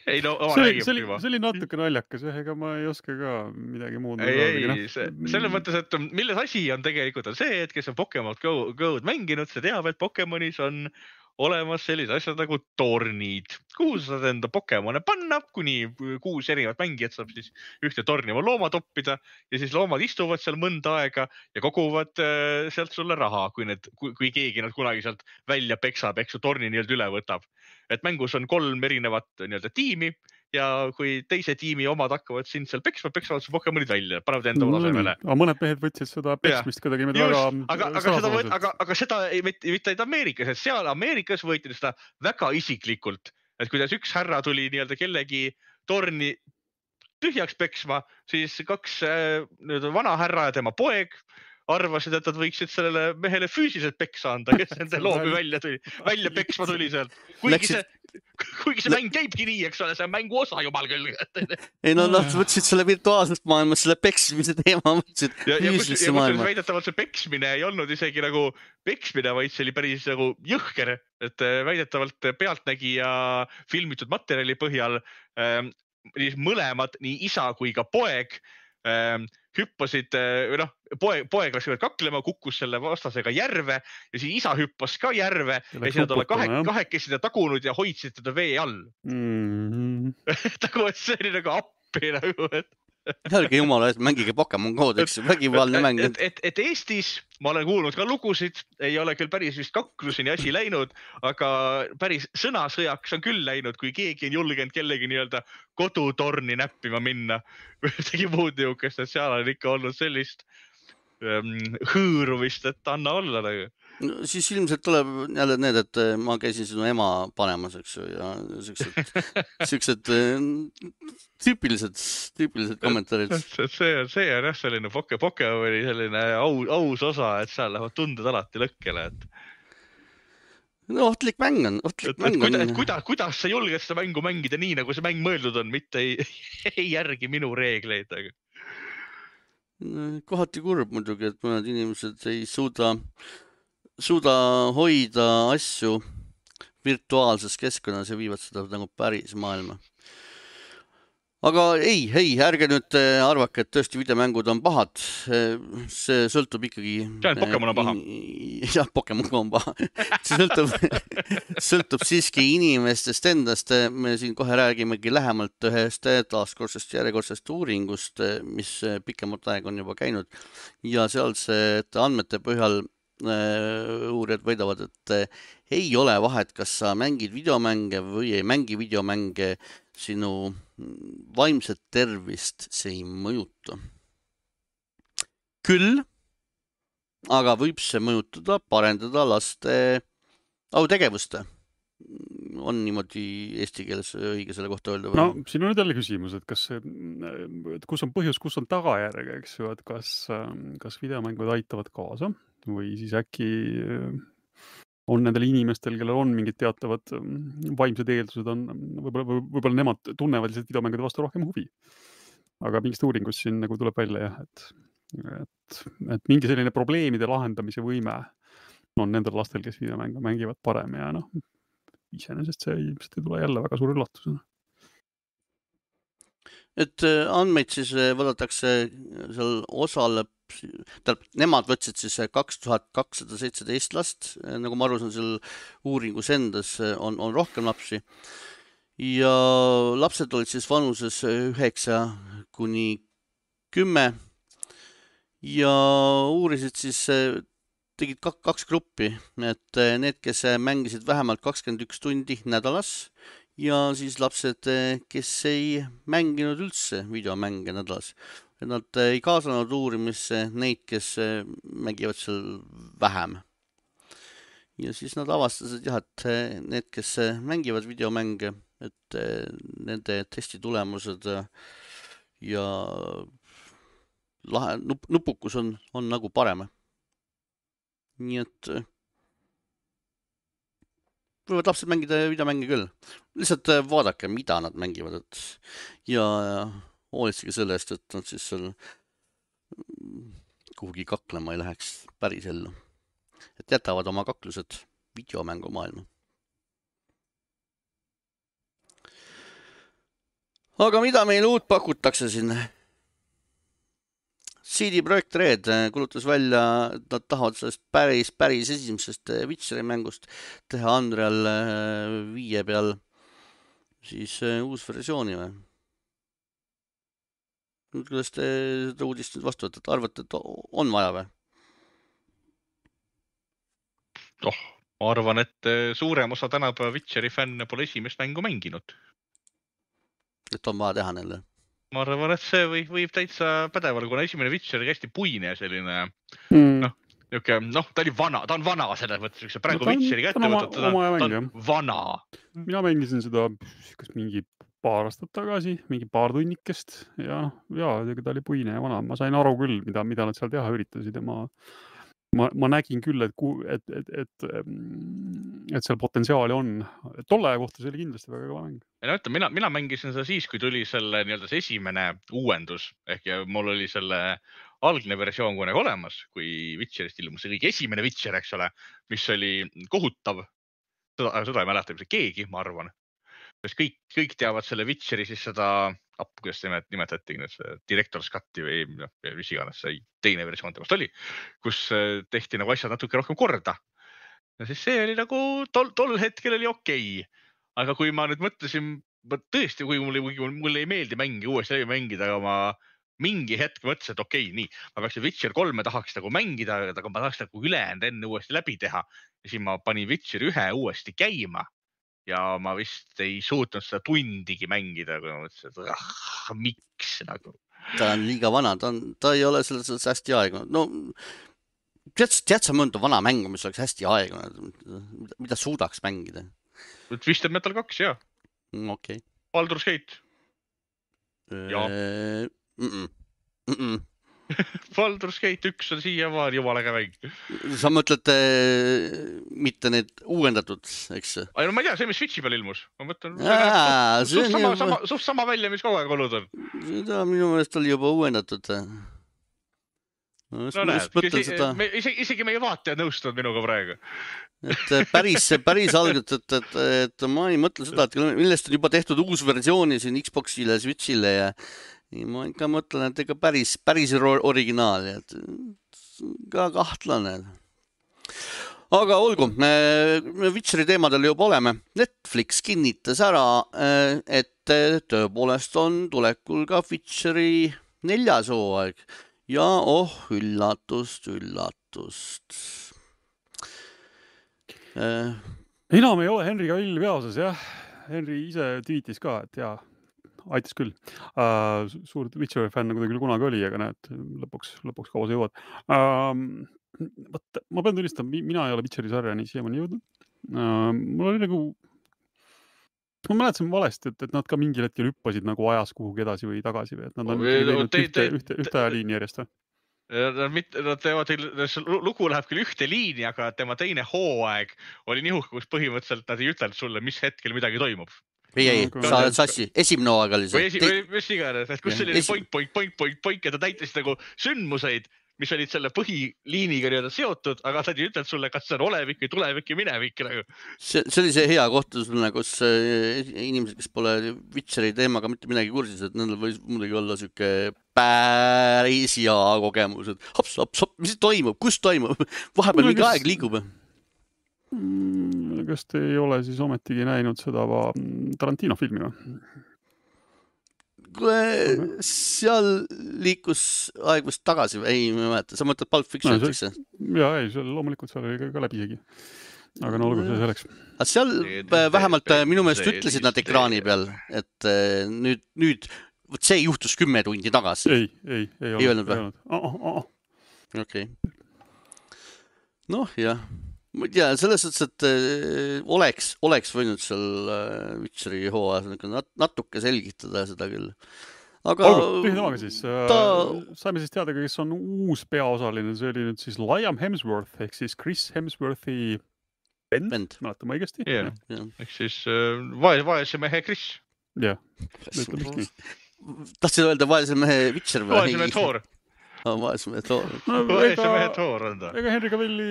ei, no oma räägib juba. See oli natuke naljakas, ega ma ei oska ka midagi muud. Selles mõttes, et milles asi on tegelikult on see, et kes on Pokemon Go'd mänginud, see teab, et Pokemonis on olemas sellised asjad nagu tornid, kuhu sa saad enda Pokemone panna, kuni 6 erinevat mängijat saab siis ühte torni oma looma toppida ja siis loomad istuvad seal mõnda aega ja koguvad sealt sulle raha, kui keegi nad kunagi sealt välja peksab, eks su torni nii-öelda üle võtab. Et mängus on 3 erinevat nii-öelda tiimi ja kui teise tiimi omad hakkavad sind seal peksavad su Pokemonid välja, panevad enda tasemele. Aga mõned mehed võtsid seda peksmist kuidagi väga... Aga seda mitte ainult Ameerikas, et seal Ameerikas võeti seda väga isiklikult. Et kuidas üks härra tuli nii-öelda kellegi torni tühjaks peksma, siis 2 vana härra ja tema poeg arvasid, et nad võiksid sellele mehele füüsiliselt peksa anda, kes nende loomi välja peksma tuli sealt. Kuigi see mäng käibki nii, eks ole, see on mängu osa jumal küll. Ei, no nad võtsid selle virtuaalsest maailmas, selle peksmise teema võtsid füüsilisse maailma. Ja väidetavalt see peksmine ei olnud isegi nagu peksmine, vaid see oli päris nagu jõhker, et väidetavalt pealtnägija filmitud materjali põhjal mõlemad, nii isa kui ka poeg, hüppasid, poeg läks kaklema, kukkus selle vastasega järve ja siis isa hüppas ka järve ja siis nad olla kahekesi teda tagunud ja hoidsid teda vee all. See oli nagu appi nagu, et Ärge jumala, et mängige Pokemon Go'd, eks vägivaldne mäng. Et Eestis, ma olen kuulnud ka lugusid, ei ole küll päris vist kakluseni asi läinud, aga päris sõnasõjaks on küll läinud, kui keegi on julgenud kellegi nii-öelda kodutorni näppima minna. Tegi muud niukest, et seal on ikka olnud sellist hõõruvist, et anna olla nagu. No, siis ilmselt tuleb jälle need, et ma käisin sinu ema panemas, eks ju, ja siuksed tüüpilised kommentaarid. See on jah selline Pokemoni selline aus osa, et seal lähevad tunded alati lõkkele. No ohtlik mäng on, kuidas sa julged seda mängu mängida nii, nagu see mäng mõeldud on, mitte ei järgi minu reegleid. Kohati kurb muidugi, et mõned inimesed ei suuda hoida asju virtuaalses keskkonnas ja viivad seda nagu päris maailma. Aga ei, ärge nüüd arvake, et tõesti videomängud on pahad. See sõltub ikkagi... See on Pokemon on paha. Jah, Pokemon on paha. See sõltub siiski inimestest endast. Me siin kohe räägimegi lähemalt ühest taaskordsest järjekordsest uuringust, mis pikemat aega on juba käinud. Ja sealsed andmete põhjal uurijad väidavad, et ei ole vahet, kas sa mängid videomänge või ei mängi videomänge, sinu vaimset tervist see ei mõjuta. Küll, aga võib see mõjutada, parendada laste autegevust. On niimoodi eesti keeles õige selle kohta öelda? No, siin on nüüd jälle küsimus, et kus on põhjus, kus on tagajärg, eks ju, et kas videomängud aitavad kaasa või siis äkki on nendel inimestel, kellel on mingid teatavad vaimsed eeldused, võib-olla nemad tunnevad lihtsalt videomängude vastu rohkem huvi. Aga mingist uuringust siin nagu tuleb välja jah, et mingi selline probleemide lahendamise võime on nendel lastel, kes videomängu mängivad parem ja iseenesest see ei tule jälle väga suur üllatusena. Et andmeid siis võdatakse seal osaleb, nemad võtsid siis 2217 last, nagu ma aru saan, seal uuringus endas on rohkem lapsi ja lapsed olid siis vanuses 9 kuni 10 ja uurisid siis, tegid kaks gruppi, et need, kes mängisid vähemalt 21 tundi nädalas ja siis lapsed, kes ei mänginud üldse videomänge nädalas. Nad ei kaasanud uurimisse neid, kes mängivad seal vähem. Ja siis nad avastasid jah, et need, kes mängivad videomänge, et nende testi tulemused ja nupukus on nagu parem. Nii et võivad lapsed mängida videomänge küll. Lihtsalt vaadake, mida nad mängivad ja hoolitsege selle eest, et nad siis seal kuhugi kaklema ei läheks päris ellu. Et jätavad oma kaklused videomängu maailma. Aga mida meil uut pakutakse siin? CD Projekt Red kulutas välja, et nad tahavad sellest päris esimesest Witcheri mängust teha Unreal 5 peal siis uus versiooni või? Kuidas te seda uudist nüüd vastu võtate? Arvate, et on vaja või? Ma arvan, et suurem osa tänapäeva Witcheri fänne pole esimest mängu mänginud. Et on vaja teha neile? Ma arvan, et see võib täitsa pädeval, kuna esimene Witcher oli hästi puine selline, ta oli vana, ta on vana selles mõttes, praegu Witcheri kätte võtad, ta on vana. Mina mängisin seda kas mingi paar aastat tagasi, mingi paar tunnikest ja ta oli puine ja vana. Ma sain aru küll, mida nad seal teha üritasid ja ma nägin küll, et seal potentsiaali on. Tolle kohta see oli kindlasti väga kõva mäng. Mina mängisin seda siis, kui tuli selle see esimene uuendus, ehk mul oli selle algne versioon kunagi olemas, kui Witcherist ilmus see kõige esimene Witcher, eks ole, mis oli kohutav. Seda ei mäleta keegi, ma arvan. Kõik teavad selle Witcheri siis seda, kuidas nimetati, Director's Cuti või mis iganes see teine versioon temast oli, kus tehti nagu asjad natuke rohkem korda. Ja siis see oli nagu tol hetkel oli okei. Aga kui ma nüüd mõtlesin, tõesti, kui mulle ei meeldi mängi uuesti läbi mängida, aga ma mingi hetk mõtlesin, et okei, nii, ma peaks Witcher 3 tahaks nagu mängida, aga ma tahaks nagu ülejäänud enne uuesti läbi teha. Ja siis ma panin Witcher 1 uuesti käima. Ja ma vist ei suutnud seda tundigi mängida, kui ma mõtlesin, et miks nagu. Ta on liiga vana, ta ei ole selles hästi aegunud. No, tead sa mõnda vana mängu, mis oleks hästi aegunud, mida suudaks mängida? Twisted Metal 2, jah. Okay. Baldur's Gate. Baldur's Gate 1 on siiamaani jumala äge mäng. Sa mõtled mitte need uuendatud, eks? Ai, no ma ei tea, see, mis Switchi peal ilmus. Ma mõtlen, suht sama välja, mis kogu aeg olnud on. Seda minu meelest oli juba uuendatud. No näed, isegi meie vaatajad nõustuvad minuga praegu. Et päris algelt, et ma ei mõtle seda, et millest on juba tehtud uus versiooni siin Xboxile, Switchile ja ma ikka mõtlen, et ega päris originaali, et ka kahtlane. Aga olgu, me Witcheri teemadel juba oleme. Netflix kinnitas ära, et tõepoolest on tulekul ka Witcheri 4. hooaeg ja üllatust. Enam ei ole Henry Cavill peaosas, jah. Henry ise tweetis ka, et jaa, aitas küll. Suur Witcheri fänn nagu ta küll kunagi oli, aga näed, lõpuks kaua sa jõuad. Ma pean tunnistama, mina ei ole Witcheri sarja nii siiamaani jõudnud. Mul oli nagu... Ma mäletasin valesti, et nad ka mingil hetkel hüppasid nagu ajas kuhugi edasi või tagasi või et nad on ühte liini järjest. Nad teevad, lugu läheb küll ühte liini, aga tema teine hooaeg oli nihuke, kus põhimõtteliselt nad ei ütelnud sulle, mis hetkel midagi toimub. Ei, sa oled sassi. Esimene hooaeg oli see. Või mis iganes, et kus oli point ja ta täitis nagu sündmuseid, mis olid selle põhiliiniga nii-öelda seotud, aga sa ei ütelnud sulle, kas see on olevik või tulevik või minevik. See oli see hea koht, kus inimesed, kes pole Witcheri teemaga mitte midagi kursis, et nendel võis muidugi olla siuke päris hea kogemus, et hops, mis toimub, kus toimub, vahepeal mingi aeg liigub. Kas te ei ole siis ometigi näinud seda Tarantino filmi või? Seal liikus aeg vist tagasi, ei mäleta, sa mõtled Pulp Fiction, eks see? Jaa, ei, loomulikult seal oli ka läbi isegi. Aga no olgu see selleks. Seal vähemalt minu meelest ütlesid nad ekraani peal, et nüüd see juhtus 10 tundi tagasi. Ei öelnud või? Okei. Noh, jah. Ma ei tea, selles suhtes, et oleks võinud seal Witcheri hooajas natuke selgitada seda küll. Aga tühjamaga siis. Saime siis teada, kes on uus peaosaline. See oli nüüd siis Liam Hemsworth ehk siis Chris Hemsworthi vend. Mäletan ma õigesti? Ehk siis vaese mehe Chris. Jah. Tahtsin öelda vaese mehe Witcher või? Vaese mehe Thor. Vaese mehe Thor. Vaese mehe Thor on ta. Ega Henry Cavilli,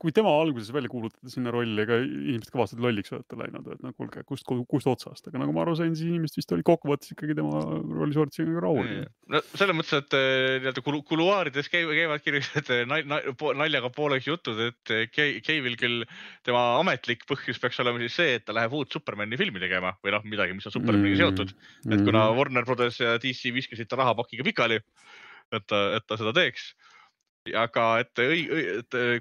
kui tema alguses välja kuulutada sinna rolli, ega inimesed kõvastad lolliks võtta läinud, et no kuulge, kust otsast, aga nagu ma aru sain, siis inimesed vist oli kokkuvõttes ikkagi tema rolli soortisega rahul. No selles mõttes, et kuluaarides käivad kirjused naljaga pooleks jutud, et Cavill küll tema ametlik põhjus peaks olema siis see, et ta läheb uut Supermani filmi tegema või noh, midagi, mis on Supermaniga seotud, et kuna Warner Brothers ja DC viskasid ta rahapakiga pikali, et ta seda teeks. Aga et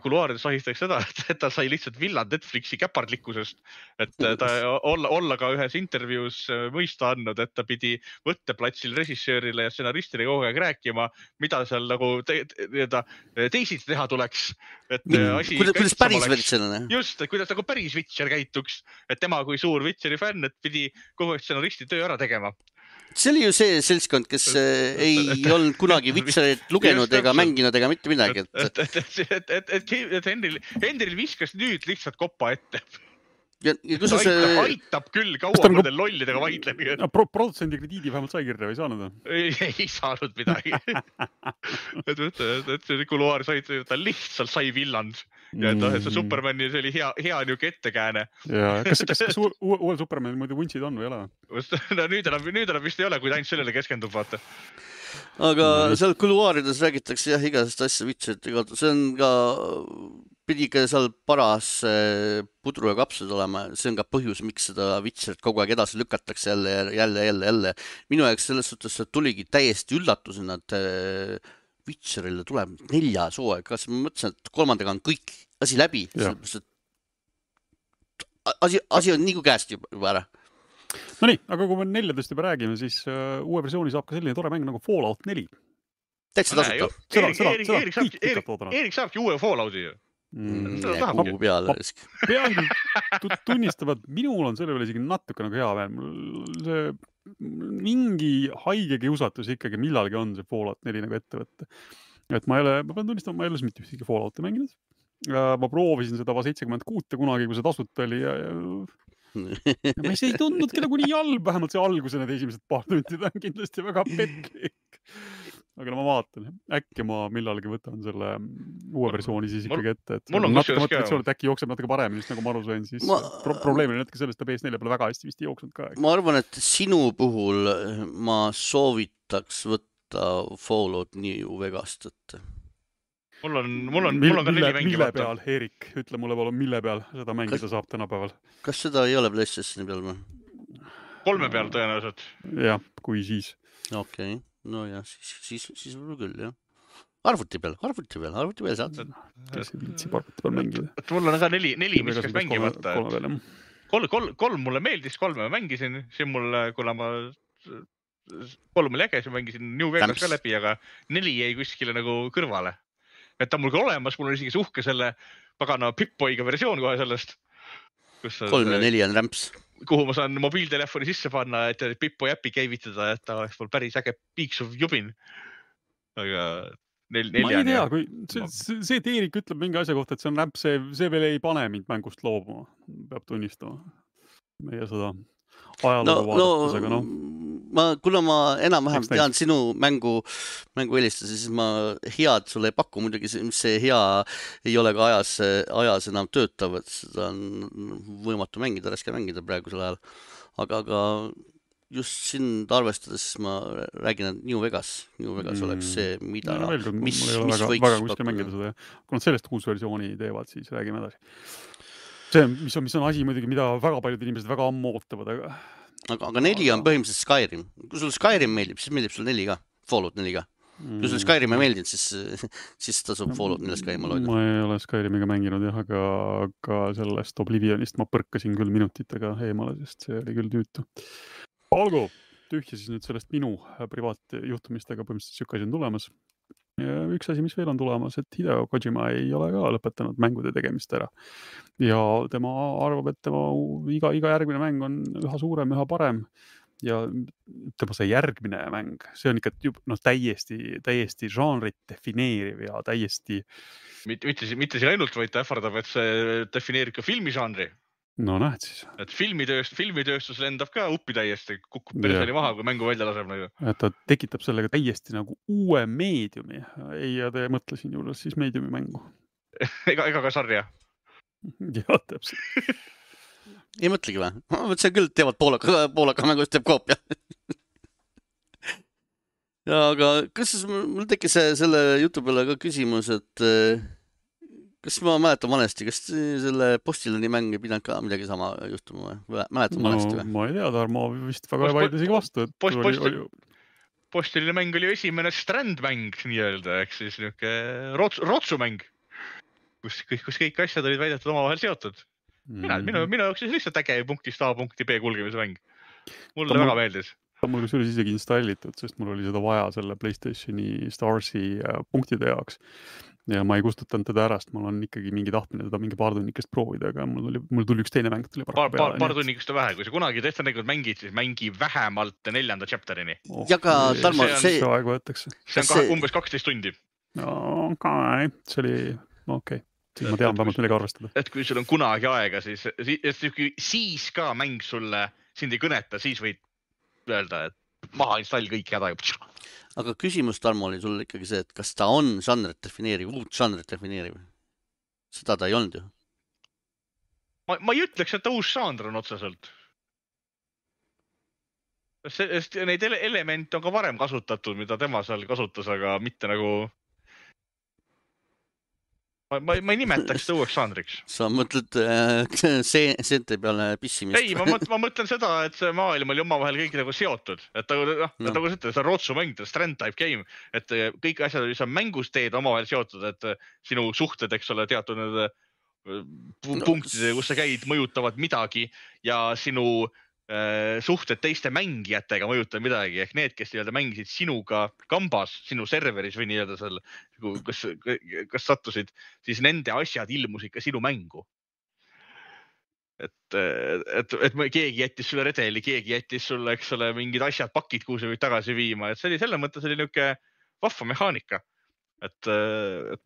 kuluaarides ahistatakse seda, et ta sai lihtsalt villand Netflixi käpardlikkusest, et ta olla ka ühes intervjuus mõista andnud, et ta pidi võtteplatsil režissöörile ja stsenaristile kogu aeg rääkima, mida seal nagu teisiti teha tuleks. Kuidas päris Witcher? Just, et kuidas nagu päris Witcher käituks, et tema kui suur Witcheri fänn, et pidi kogu aeg stsenaristi töö ära tegema. See oli ju see seltskond, kes ei olnud kunagi Witcherit lugenud ega mänginud ega mitte midagi. Et Henril viskas nüüd lihtsalt koppa ette. Aitab küll kaua mõnel lollidega vaidlemine. Produtsendi krediidi vähemalt sai kirja või saanud? Ei saanud midagi. Et see kuluaar ta lihtsalt sai villand. Ja et see Supermani see oli hea niuke ettekääne. Kas uuel Supermanil muidu vuntsid on või ei ole? Nüüd enam vist ei ole, kui ta ainult sellele keskendub, vaata. Aga seal kuluaarides räägitakse jah igasest asja Witcherit. See on ka... pidi ka seal paras pudru ja kapsud olema. See on ka põhjus, miks seda Witcherit kogu aeg edasi lükatakse jälle. Minu jaoks selles suhtes tuligi täiesti üllatusena, et Witcherile tuleb 4. hooaeg. Kas ma mõtlesin, et 3. on kõik asi läbi. Asi on nii kui käest juba ära. No nii, aga kui me 4 juba räägime, siis uue versiooni saab ka selline tore mäng nagu Fallout 4. Täitsa tasuta. Eerik saabki uue Fallouti ju. Kuhu peale. Pean tunnistama, et minul on selle peale isegi natuke nagu hea veel. See mingi haige kiusatus ikkagi millalgi on see Fallout 4 nagu ette võtta. Et ma pean tunnistama, ma ei ole mitte ühtegi Fallouti mänginud. Ma proovisin seda 76 kunagi, kui see tasuta oli ja ma ei tundnudki nagu nii halb, vähemalt see alguse need esimesed paar tundi on kindlasti väga petlik. Aga ma vaatan, äkki ma millalgi võtan selle uue versiooni siis ikkagi ette, et äkki jookseb natuke paremini, just nagu ma aru sain, siis probleem oli natuke sellest, et PS4 pole väga hästi vist jooksnud ka. Ma arvan, et sinu puhul ma soovitaks võtta Fallout New Vegast, et mul on ka 4 mängi mille peal, Erik, ütle mulle palun, mille peal seda mängida saab tänapäeval? Kas seda ei ole PlayStationi peal või? 3 peal tõenäoliselt. Jah, kui siis. Okei, no jah, siis võib küll, jah. Arvuti peal saad. Kes ei viitsib arvuti peal mängida? Mul on ka 4, mis käis mängimata. 3 mulle meeldis, 3 ma mängisin. See mulle, kuna ma 3 oli äge, siis mängisin New Vegas ka läbi, aga 4 jäi kuskile nagu kõrvale. Et ta mul ka olemas, mul on isegi suhke selle pagana Pip-Boyga versioon kohe sellest. 3 ja 4 on rämps. Kuhu ma saan mobiiltelefoni sisse panna, et Pip-Boy äppi käivitada, et ta oleks mul päris äge piiksuv jubin. Aga 4 ma ei tea, kui see Erik ütleb mingi asja kohta, et see on rämps, see veel ei pane mind mängust loobuma, peab tunnistama. Meie seda ajalugu vaadates, aga noh. Kuna ma enam-vähem tean sinu mängu helistasi, siis ma head sulle ei paku muidugi, see hea ei ole ka ajas enam töötav, et seda on võimatu mängida, raske mängida praegusel ajal. Aga just sind arvestades ma räägin, et New Vegas oleks see, mida, mis võiks pakkuda. Kui nad sellest uus versiooni teevad, siis räägime edasi. See, mis on asi muidugi, mida väga paljud inimesed väga ammu ootavad, aga 4 on põhimõtteliselt Skyrim. Kui sul Skyrim meeldib, siis meeldib sul 4 ka. Fallout 4 ka. Kui sul Skyrim ei meeldinud, siis tasub Fallout 4 ka eemal hoida. Ma ei ole Skyrimiga mänginud, jah, aga sellest Oblivionist ma põrkasin küll minutitega eemale, sest see oli küll tüütu. Olgu, tühja siis nüüd sellest minu privaatjuhtumistega põhimõtteliselt siuke asi on tulemas. Ja üks asi, mis veel on tulemas, et Hideo Kojima ei ole ka lõpetanud mängude tegemist ära. Ja tema arvab, et tema iga järgmine mäng on üha suurem, üha parem. Ja tema see järgmine mäng, see on ikka täiesti žanrit defineeriv ja täiesti... Mitte siin ainult, vaid ta ähvardab, et see defineerib ka filmižanri. No näed siis. Et filmitööstus lendab ka uppi täiesti, kukub perseli maha, kui mängu välja laseb. Et ta tekitab sellega täiesti nagu uue meediumi. Ei, ja te mõtlesin juures siis meediumi mängu. Ega ka sarja. Jah, täpselt. Ei mõtlegi või? Ma mõtlesin küll, teevad poolaka mängust teeb koopia. Ja, aga kas mul tekkis selle jutu peale ka küsimus, et kas ma mäletan valesti, kas selle Postiloni mäng ei pidanud ka midagi sama juhtuma või? Mäletan valesti või? Ma ei tea, Tarmo vist väga ei vaidle isegi vastu. Postiloni mäng oli ju esimene strandmäng nii-öelda, ehk siis niisugune rotsumäng, kus kõik asjad olid väidetud omavahel seotud. Minu jaoks siis lihtsalt äge punktist A punkti B kulgemise mäng. Mulle väga meeldis. Ta mul oli isegi installitud, sest mul oli seda vaja selle PlayStationi Starsi punktide jaoks. Ja ma ei kustutanud teda ära, sest mul on ikkagi mingi tahtmine teda mingi paar tunnikest proovida, aga mul tuli üks teine mäng. Paar tunnikest on vähe, kui sa kunagi tegelikult mängid, siis mängi vähemalt 4. chapterini. Ja ka Tarmo, see on umbes 12 tundi. See oli okei. Siis ma tean vähemalt millega arvestada. Et kui sul on kunagi aega, siis ka mäng sulle sind ei kõneta, siis võid öelda, et maha install kõik häda. Aga küsimus, Tarmo, oli sul ikkagi see, et kas ta on žanrit defineeriv, uut žanrit defineeriv? Seda ta ei olnud ju. Ma ei ütleks, et ta uus žanr on otseselt. Neid elemente on ka varem kasutatud, mida tema seal kasutas, aga mitte nagu... Ma ei nimetaks seda uueks žanriks. Sa mõtled seente peale pissimist? Ei, ma mõtlen seda, et see maailm oli omavahel kõik nagu seotud. Et nagu see on rotsumäng, strand type game, et kõik asjad, mis on mängus teed omavahel seotud, et sinu suhted, eks ole, teatud punktide, kus sa käid, mõjutavad midagi ja sinu suhted teiste mängijatega mõjutab midagi, ehk need, kes mängisid sinuga kambas, sinu serveris või nii-öelda seal, kas sattusid, siis nende asjad ilmusid ka sinu mängu. et keegi jättis sulle redeli, keegi jättis sulle, eks ole, mingid asjad, pakid, kuhu sa võid tagasi viima, et see oli selle mõttes oli niisugune vahva mehaanika, et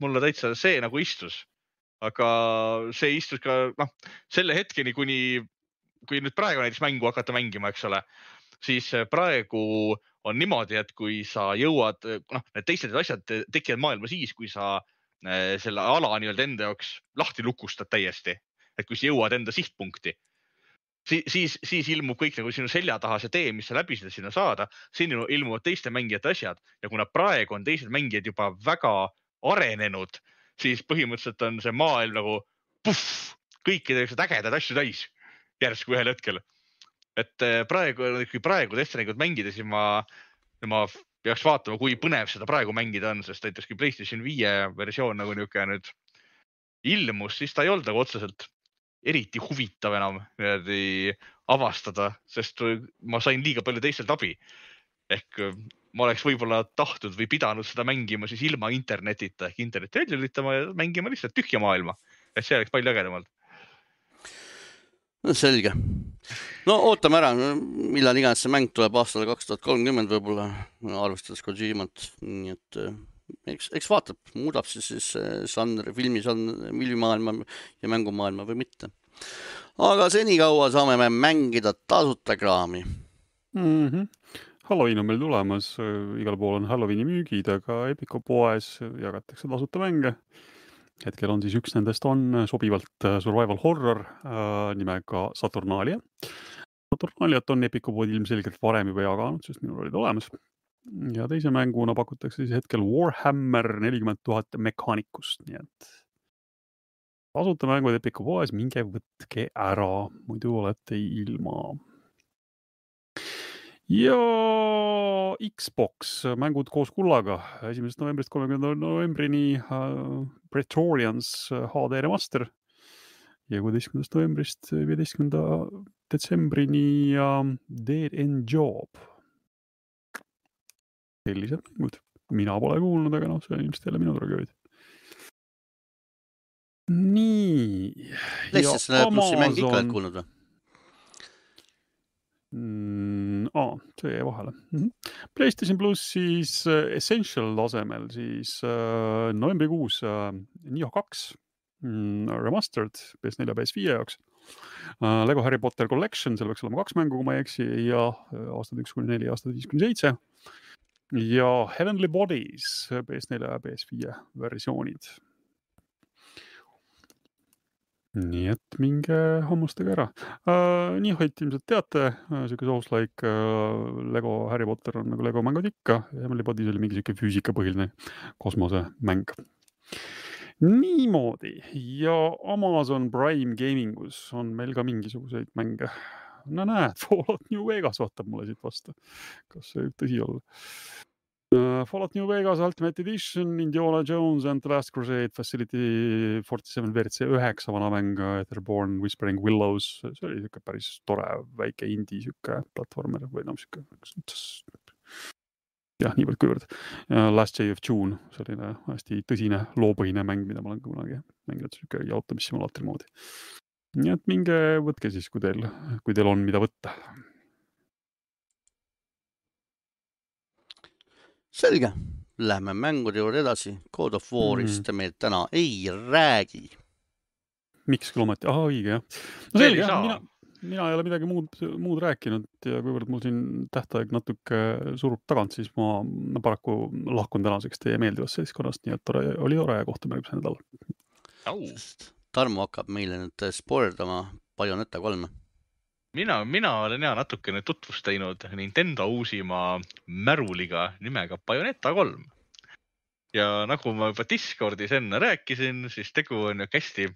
mulle täitsa see nagu istus, aga see istus ka selle hetkeni, kui nüüd praegu näiteks mängu hakata mängima, eks ole, siis praegu on niimoodi, et kui sa jõuad, need teised asjad tekivad maailma siis, kui sa selle ala nii-öelda enda jaoks lahti lukustad täiesti. Et kui sa jõuad enda sihtpunkti, siis ilmub kõik nagu sinu selja taha see tee, mis sa läbi seda sinna saada, siin ilmuvad teiste mängijate asjad ja kuna praegu on teised mängijad juba väga arenenud, siis põhimõtteliselt on see maailm nagu kõikidega ägedad asju täis järsku ühel hetkel. Et kui praegu Destiniga mängida, siis ma peaks vaatama, kui põnev seda praegu mängida on, sest näiteks kui PlayStation 5 versioon nagu niisugune nüüd ilmus, siis ta ei olnud nagu otseselt eriti huvitav enam avastada, sest ma sain liiga palju teistelt abi. Ehk ma oleks võib-olla tahtnud või pidanud seda mängima siis ilma internetita ehk interneti välja lülitama ja mängima lihtsalt tühja maailma. Et see oleks palju ägedamalt. No selge. No ootame ära, millal iganes see mäng tuleb aastal 2030 võib-olla, arvestades Kojimat. Nii et eks vaatab, muudab siis žanri, filmimaailma ja mängumaailma või mitte. Aga senikaua saame me mängida tasuta kraami. Halloween on meil tulemas, igal pool on Halloweeni müügid, aga Epico poes jagatakse tasuta mänge. Hetkel on siis üks nendest on sobivalt survival horror nimega Saturnalia. Saturnaliat on Epico pood ilmselgelt varem juba jaganud, sest minul olid olemas. Ja teise mänguna pakutakse siis hetkel Warhammer 40,000 mekaanikust, nii et tasuta mängud Epico poes, minge võtke ära, muidu olete ilma. Ja Xbox mängud koos kullaga 1. novembrist 30. novembrini Praetorians HD remaster ja 16. novembrist 15. detsembrini Dead End Job. Sellised mängud. Mina pole kuulnud, aga see on ilmselt jälle minu tragööd. Nii. PlayStation Plussi mäng ikka oled kuulnud või? See jäi vahele. PlayStation Plussis Essential tasemel siis novembrikuus Nioh 2 remastered PS4 ja PS5 jaoks. Lego Harry Potter Collection, seal võiks olema 2 mängu, kui ma ei eksi, ja aastad 1-4, aastad 5-7. Ja Heavenly Bodies PS4 ja PS5 versioonid. Nii et minge hammustage ära. Niohit ilmselt teate, siuke Souls-like Lego Harry Potter on nagu Lego mängud ikka. Heavenly Bodies oli mingi siuke füüsikapõhiline kosmosemäng. Niimoodi. Ja Amazon Prime Gamingus on meil ka mingisuguseid mänge. No näed, Fallout New Vegas vaatab mulle siit vastu. Kas see võib tõsi olla? Fallout New Vegas Ultimate Edition, Indiana Jones and the Last Crusade, Facility 47 WRC 9 vana mäng, Etherborn, Whispering Willows, see oli siuke päris tore väike indie siuke platvormer või siuke jah, niivõrd kuivõrd. Last Day of June, selline hästi tõsine loopõhine mäng, mida ma olen kunagi mänginud siuke jaotamissimulaatri moodi. Nii et minge võtke siis, kui teil on mida võtta. Selge, lähme mängude juurde edasi. God of War'ist meil täna ei räägi. Miks küll ometi? Õige, jah. No selge, mina ei ole midagi muud rääkinud ja kuivõrd mul siin tähtaeg natuke surub tagant, siis ma paraku lahkun tänaseks teie meeldivast seltskonnast, nii et oli tore ja kohtume järgmise nädal. Tarmo hakkab meile nüüd spoilerdama Bayonetta 3. Mina olen natukene tutvust teinud Nintendo uusima märuliga nimega Bayonetta 3. Ja nagu ma juba Discordis enne rääkisin, siis tegu on hästi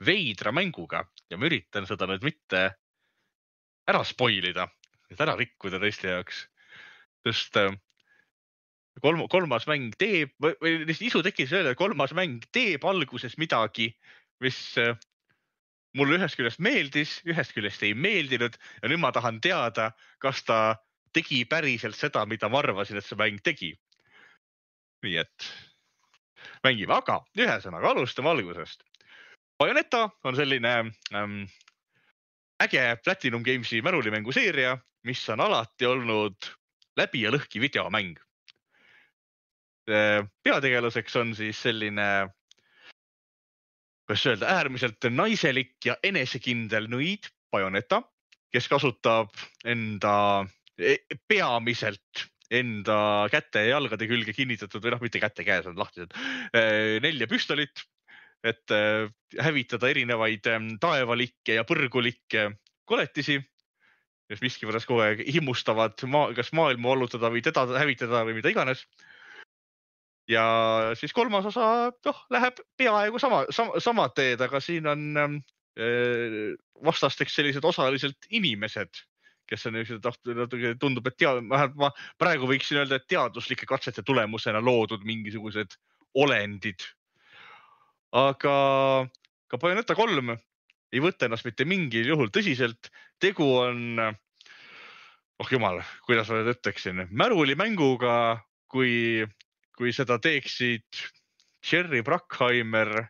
veidra mänguga ja ma üritan seda nüüd mitte ära spoilida, et ära rikkuda teiste jaoks. Sest kolmas mäng teeb, või isu tekkis öelda, et kolmas mäng teeb alguses midagi, mis mulle ühest küljest meeldis, ühest küljest ei meeldinud ja nüüd ma tahan teada, kas ta tegi päriselt seda, mida ma arvasin, et see mäng tegi. Nii et mängime, aga ühesõnaga alustame algusest. Bayonetta on selline äge Platinum Gamesi märulimängu seeria, mis on alati olnud läbi ja lõhki videomäng. Peategelaseks on siis selline, kuidas öelda, äärmiselt naiselik ja enesekindel nõid Bayonetta, kes kasutab peamiselt enda käte ja jalgade külge kinnitatud või mitte käte käes on lahtised 4 püstolit, et hävitada erinevaid taevalikke ja põrgulikke koletisi, kes miskivõrras kogu aeg himmustavad kas maailma vallutada või teda hävitada või mida iganes. Ja siis 3. osa läheb peaaegu sama teed, aga siin on vastasteks sellised osaliselt inimesed, kes on tundub, et ma praegu võiksin öelda, et teaduslike katsete tulemusena loodud mingisugused olendid. Aga ka Bayonetta 3 ei võta ennast mitte mingil juhul tõsiselt. Tegu on, jumal, kuidas ma nüüd ütleksin, märulimänguga, kui seda teeksid Jerry Bruckheimer,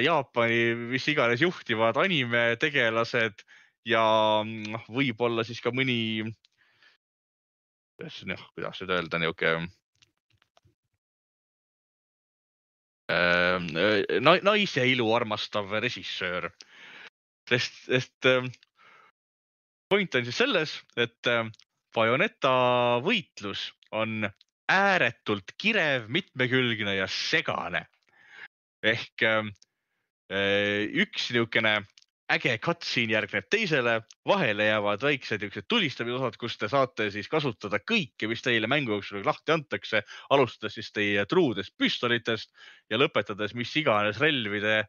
Jaapani mis iganes juhtivad anime tegelased ja võib-olla siis ka mõni, kuidas nüüd öelda, naise ilu armastav režissöör. Sest point on siis selles, et Bayonetta võitlus on ääretult kirev, mitmekülgne ja segane. Ehk üks niisugune äge cutscene järgneb teisele, vahele jäävad väiksed tulistamisosad, kus te saate siis kasutada kõike, mis teile mängu jooksul lahti antakse, alustades siis teie truudest püstolitest ja lõpetades mis iganes relvide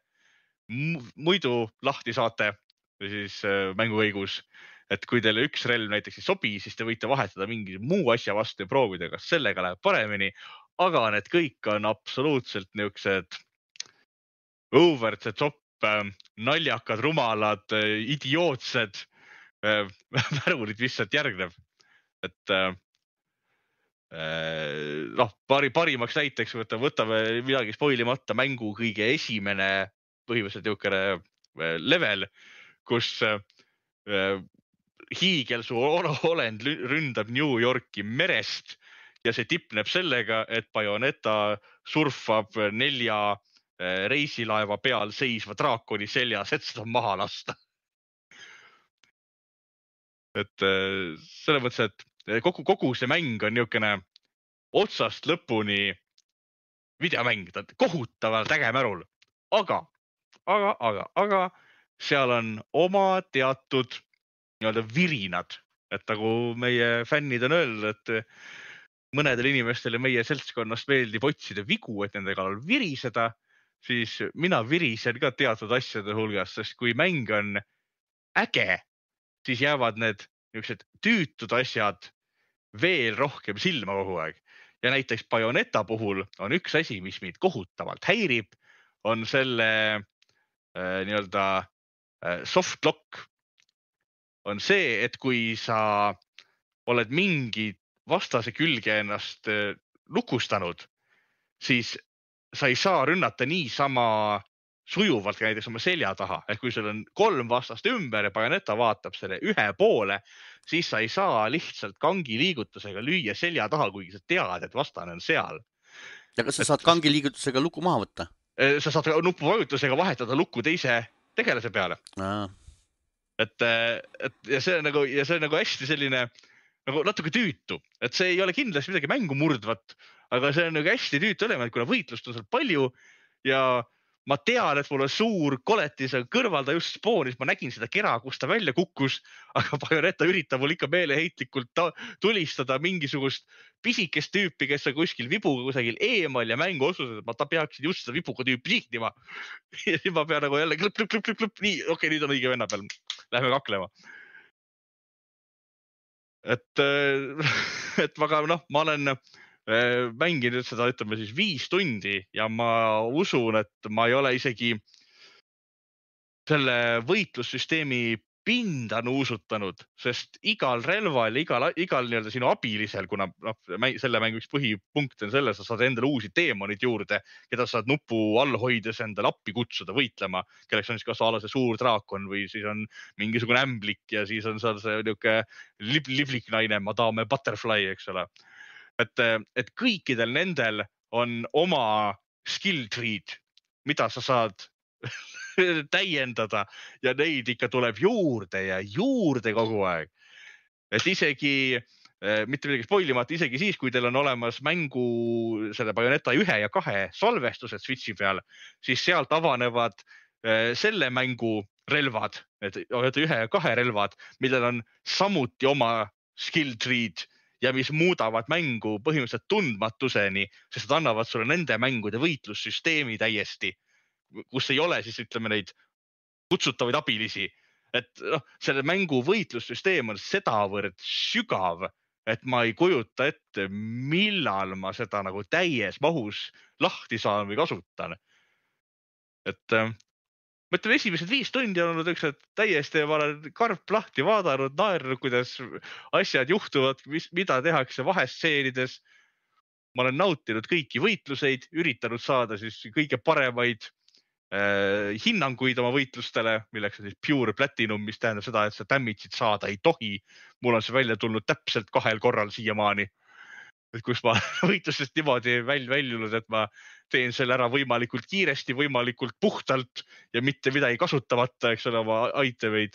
muidu lahti saate siis mängu käigus. Et kui teile üks relv näiteks ei sobi, siis te võite vahetada mingi muu asja vastu ja proovida, kas sellega läheb paremini. Aga need kõik on absoluutselt niisugused over the top, naljakad, rumalad, idiootsed märulid, mis sealt järgneb. Et parimaks näiteks võtame midagi spoilimata mängu kõige esimene põhimõtteliselt niisugune level, kus hiigelsu olend ründab New Yorki merest ja see tipneb sellega, et Bayonetta surfab 4 reisilaeva peal seisva draakoni seljas, et seda maha lasta. Et selles mõttes, et kogu see mäng on niisugune otsast lõpuni videomäng, ta on kohutavalt äge märul. Aga seal on oma teatud virinad, et nagu meie fännid on öelnud, et mõnedel inimestele meie seltskonnast meeldib otsida vigu, et nende kallal viriseda, siis mina virisen ka teatud asjade hulgas, sest kui mäng on äge, siis jäävad need niisugused tüütud asjad veel rohkem silma kogu aeg. Ja näiteks Bayonetta puhul on üks asi, mis meid kohutavalt häirib, on selle soft lock. On see, et kui sa oled mingi vastase külge ennast lukustanud, siis sa ei saa rünnata niisama sujuvalt ka näiteks oma selja taha. Ehk kui sul on 3 vastast ümber ja Bayonetta vaatab selle ühe poole, siis sa ei saa lihtsalt kangi liigutusega lüüa selja taha, kuigi sa tead, et vastane on seal. Ja kas sa saad kangi liigutusega luku maha võtta? Sa saad nupuvajutusega vahetada lukku teise tegelase peale. Ja see on nagu hästi selline nagu natuke tüütu, et see ei ole kindlasti midagi mängu murdvat, aga see on nagu hästi tüütu element, kuna võitlust on seal palju ja ma tean, et mul on suur koletis kõrval, ta just spoonis, ma nägin seda kera, kus ta välja kukkus, aga Bayonetta üritab mul ikka meeleheitlikult tulistada mingisugust pisikest tüüpi, kes on kuskil vibuga kusagil eemal ja mängu otsused, et ma peaksin just seda vibuga tüüpi sihnima. Ja siis ma pean nagu jälle klõpp, nii, okei, nüüd on õige venna peal, lähme kaklema. Et ma olen mänginud seda, ütleme siis 5 tundi ja ma usun, et ma ei ole isegi selle võitlussüsteemi pinda nuusutanud, sest igal relval, igal nii-öelda sinu abilisel, kuna selle mängu üks põhipunkt on selles, sa saad endale uusi teemonid juurde, keda saad nupu all hoides endale appi kutsuda võitlema, kelleks on siis kas ala see suur draakon või siis on mingisugune ämblik ja siis on seal see niisugune liblik naine, madame butterfly, eks ole. Et kõikidel nendel on oma skill tree'd, mida sa saad täiendada ja neid ikka tuleb juurde ja juurde kogu aeg. Et isegi, mitte midagi spoilimata, isegi siis, kui teil on olemas mängu selle Bayonetta 1 ja 2 salvestused Switchi peal, siis sealt avanevad selle mängu relvad, et 1 ja 2 relvad, millel on samuti oma skill tree'd ja mis muudavad mängu põhimõtteliselt tundmatuseni, sest nad annavad sulle nende mängude võitlussüsteemi täiesti, kus ei ole siis ütleme neid kutsutavaid abilisi. Et selle mängu võitlussüsteem on sedavõrd sügav, et ma ei kujuta ette, millal ma seda nagu täies mahus lahti saan või kasutan. Et ma ütlen, esimesed 5 tundi on olnud üks, et täiesti ma olen karp lahti vaadanud, naernud, kuidas asjad juhtuvad, mida tehakse vahestseenides. Ma olen nautinud kõiki võitluseid, üritanud saada siis kõige paremaid hinnanguid oma võitlustele, milleks on siis pure platinum, mis tähendab seda, et sa damage'id saada ei tohi. Mul on see välja tulnud täpselt 2 korral siiamaani, et kus ma võitlusest niimoodi väljunud, et ma teen selle ära võimalikult kiiresti, võimalikult puhtalt ja mitte midagi kasutamata, eks ole, oma itemeid.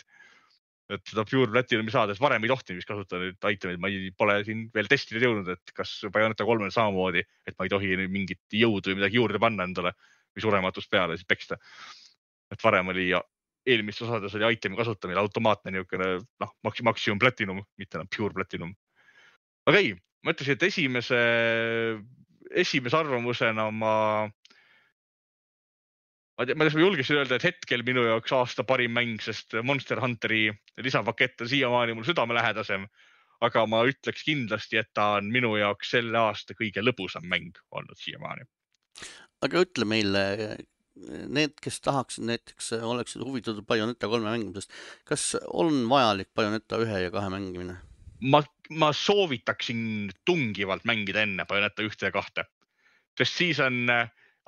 Et seda pure platinumi saades varem ei tohti, mis kasutada nüüd itemeid. Ma pole siin veel testida jõudnud, et kas Bayonetta 3 on samamoodi, et ma ei tohi mingit jõudu või midagi juurde panna endale või surematust peale siis peksta. Et varem oli eelmistes osades oli itemi kasutamine automaatne niisugune maksimum platinum, mitte pure platinum. Aga ei, ma ütlesin, et esimese arvamusena ma julgesin öelda, et hetkel minu jaoks aasta parim mäng, sest Monster Hunteri lisapakett on siiamaani mul südamelähedasem, aga ma ütleks kindlasti, et ta on minu jaoks selle aasta kõige lõbusam mäng olnud siiamaani. Aga ütle meile, need, kes tahaksid näiteks, oleksid huvitatud Bayonetta 3 mängimisest, kas on vajalik Bayonetta 1 ja 2 mängimine? Ma soovitaksin tungivalt mängida enne Bayonetta 1 ja 2, sest siis on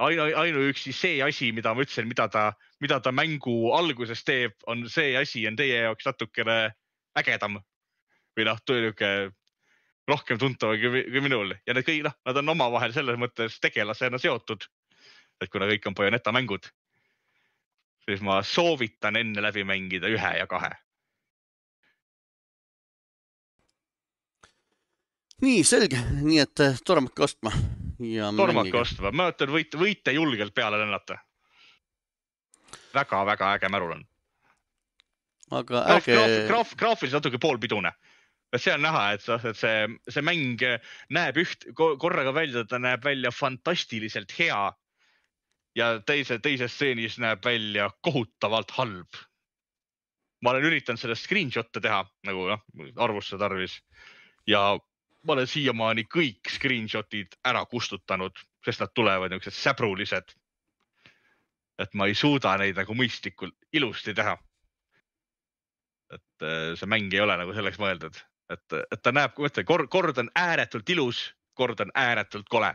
ainuüksi see asi, mida ma ütlesin, mida ta mängu alguses teeb, on see asi on teie jaoks natukene ägedam või rohkem tuntav kui minul. Ja need kõik, nad on omavahel selles mõttes tegelasena seotud, et kuna kõik on Bayonetta mängud, siis ma soovitan enne läbi mängida 1 ja 2. Nii, selge. Nii, et tormake ostma. Tormake ostma. Ma ütlen, võite julgelt peale lennata. Väga äge märul on. Aga graafiliselt natuke poolpidune. See on näha, et see mäng näeb korraga välja, ta näeb välja fantastiliselt hea ja teises stseenis näeb välja kohutavalt halb. Ma olen üritanud sellest screenshot'e teha, nagu arvusse tarvis ja ma olen siiamaani kõik screenshot'id ära kustutanud, sest nad tulevad niisugused säbrulised, et ma ei suuda neid nagu mõistlikult ilusti teha. Et see mäng ei ole nagu selleks mõeldud. Et ta näeb, kord on ääretult ilus, kord on ääretult kole.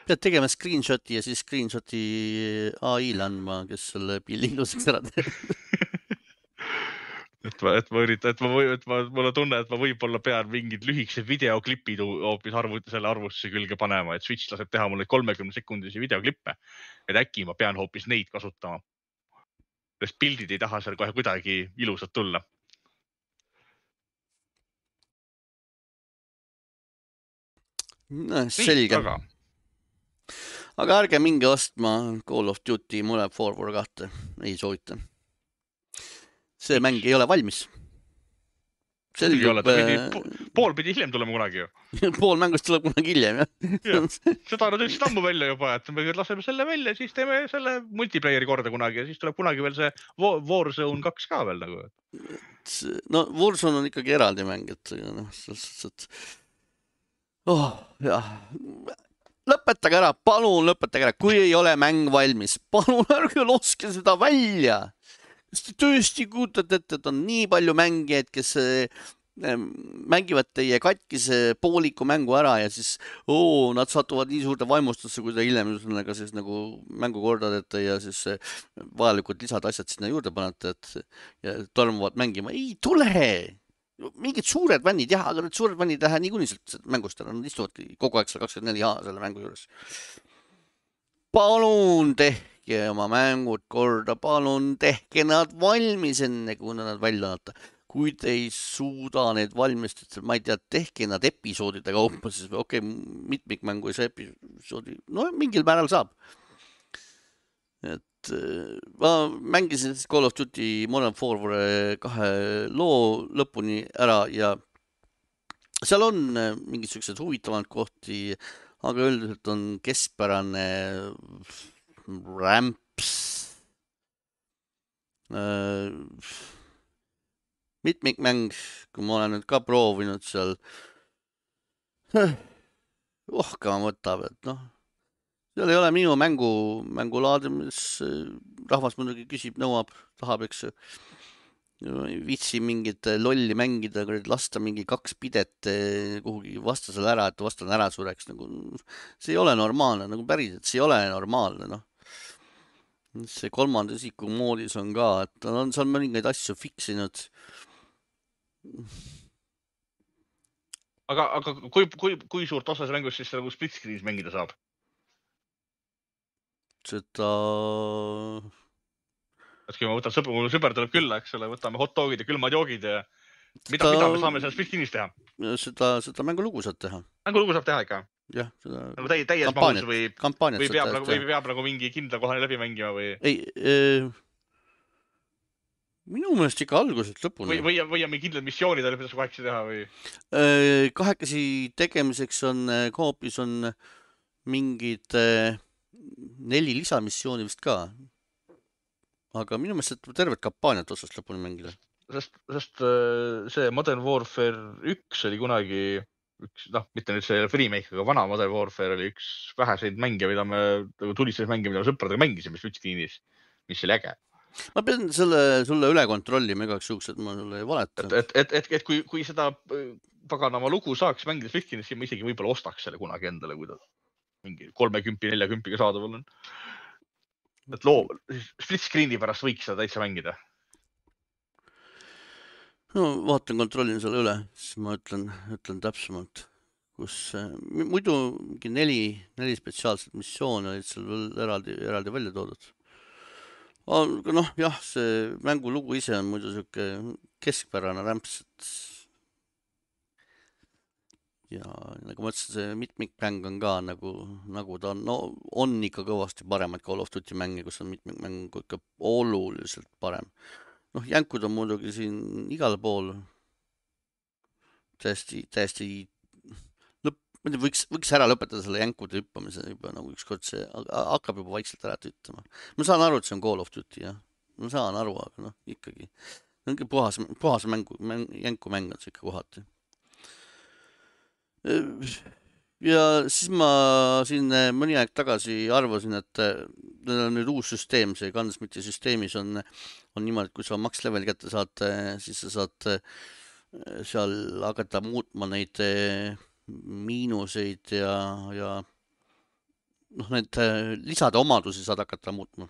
Pead tegema screenshoti ja siis screenshoti AI-le andma, kes selle pilli ilusaks ära teeb. Mulle tunne, et ma võib-olla pean mingid lühikesed videoklipid hoopis selle arvutusse külge panema, et Switch laseb teha mulle 30-sekundisi videoklippe, et äkki ma pean hoopis neid kasutama. Sest pildid ei taha seal kohe kuidagi ilusad tulla. No, selge. Aga ärge minge ostma Call of Duty Modern Warfare 2. Ei soovita. See mäng ei ole valmis. Pool pidi hiljem tulema kunagi ju. Pool mängust tuleb kunagi hiljem, jah. Seda nad ütlesid ammu välja juba, et me laseme selle välja, siis teeme selle multiplayeri korda kunagi ja siis tuleb kunagi veel see Warzone 2 ka veel nagu. No Warzone on ikkagi eraldi mäng, et lõpetage ära, palun lõpetage ära, kui ei ole mäng valmis, palun ärge loske seda välja. Kas te tõesti kujutate ette, et on nii palju mängijaid, kes mängivad teie katkise pooliku mängu ära ja siis nad satuvad nii suurde vaimustusse, kui te hiljem sellega siis nagu mängu korda teete ja siis vajalikud lisad asjad sinna juurde panete, ja tormuvad mängima. Ei tule! Mingid suured fännid, jah, aga need suured fännid lähe niikuinii sealt mängust ära, nad istuvadki kogu aeg 24H selle mängu juures. Palun tehke oma mängud korda, palun tehke nad valmis enne, kui nad välja annata. Kui te ei suuda need valmistada, ma ei tea, tehke nad episoodide kaupa, siis okei, mitmikmängu ei saa episoodi, no mingil määral saab. Et ma mängisin Call of Duty Modern Warfare 2 loo lõpuni ära ja seal on mingid sellised huvitavad kohti, aga üldiselt on keskpärane rämps. Mitmikmäng, kui ma olen nüüd ka proovinud seal, ohkama võtab, et noh, seal ei ole minu mängulaadi, mis rahvas muidugi küsib, nõuab, tahab, eks viitsi mingit lolli mängida, lasta mingi 2 pidet kuhugi vastasele ära, et vastane ära sureks. Nagu, see ei ole normaalne, nagu päriselt, see ei ole normaalne, noh. See 3. isiku moodis on ka, et on seal mõningaid asju fiksinud. Aga kui suurt osa see mängus siis nagu split screenis mängida saab? Seda... Et kui ma võtan mul sõber tuleb külla, eks ole, võtame hot dogid ja külmad joogid ja mida me saame seal split screenis teha? Seda mängulugu saab teha. Mängulugu saab teha ikka? Jah, seda... Nagu täies mahus või peab nagu mingi kindla kohani läbi mängima või? Ei, minu meelest ikka alguselt lõpuni. Või on mingi kindlad missioonid, mida sa kahekesi teha või? Kahekesi tegemiseks on koopis on mingid 4 lisamissiooni vist ka. Aga minu meelest tervet kampaaniat otsast lõpuni mängida. Sest see Modern Warfare 1 oli kunagi mitte nüüd see remake, aga vana Modern Warfare oli üks väheseid mänge, mida me tulistes mänge, mida me sõpradega mängisime Switch-tiinis, mis oli äge. Ma pean sulle üle kontrollima igaks juhuks, et ma sulle ei valeta. Et kui seda paganama lugu saaks mängida Switch-tinis, siis ma isegi võib-olla ostaks selle kunagi endale, kui ta mingi 30-40 saadaval on. Et split screen'i pärast võiks seda täitsa mängida. No vaatan, kontrollin selle üle, siis ma ütlen täpsemalt, kus muidu mingi 4 spetsiaalset missioone olid seal veel eraldi välja toodud. Aga noh, jah, see mängulugu ise on muidu selline keskpärane rämps, ja nagu ma ütlesin, see mitmikmäng on ka nagu ta on, no on ikka kõvasti paremad Call of Duty mänge, kus on mitmikmäng ikka oluliselt parem. Noh, jänkud on muidugi siin igal pool täiesti võiks ära lõpetada selle jänkude hüppamise juba nagu ükskord see hakkab juba vaikselt ära tüttama. Ma saan aru, et see on Call of Duty, jah. Ma saan aru, aga noh, ikkagi puhas jänkumäng on see ikka kohati. Ja siis ma siin mõni aeg tagasi arvasin, et neil on nüüd uus süsteem, see Gunsmiti süsteemis on niimoodi, et kui sa max level kätte saad, siis sa saad seal hakata muutma neid miinuseid ja noh, need lisade omadusi saad hakata muutma.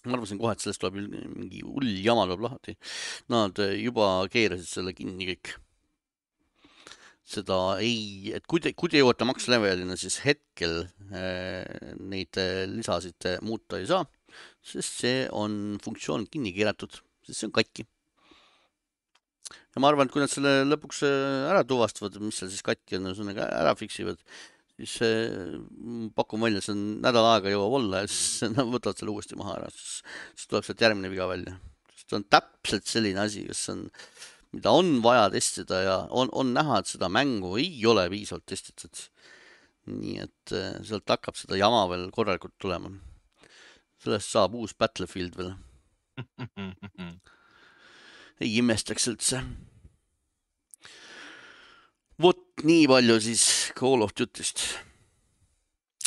Ma arvasin kohe, et sellest tuleb mingi hull jama tuleb lahti. Nad juba keerasid selle kinni kõik. Seda ei, et kui te jõuate max levelina, siis hetkel neid lisasid muuta ei saa, sest see on funktsioon kinni keeratud, sest see on katki. Ja ma arvan, et kui nad selle lõpuks ära tuvastavad, mis seal siis katki on, ära fiksivad, siis pakun välja, see on nädal aega jõuab olla ja siis nad võtavad selle uuesti maha ära, siis tuleb sealt järgmine viga välja. See on täpselt selline asi, mida on vaja testida ja on näha, et seda mängu ei ole piisavalt testitud. Nii et sealt hakkab seda jama veel korralikult tulema. Sellest saab uus Battlefield veel. Ei imestaks üldse. Vot nii palju siis Call of Duty'st.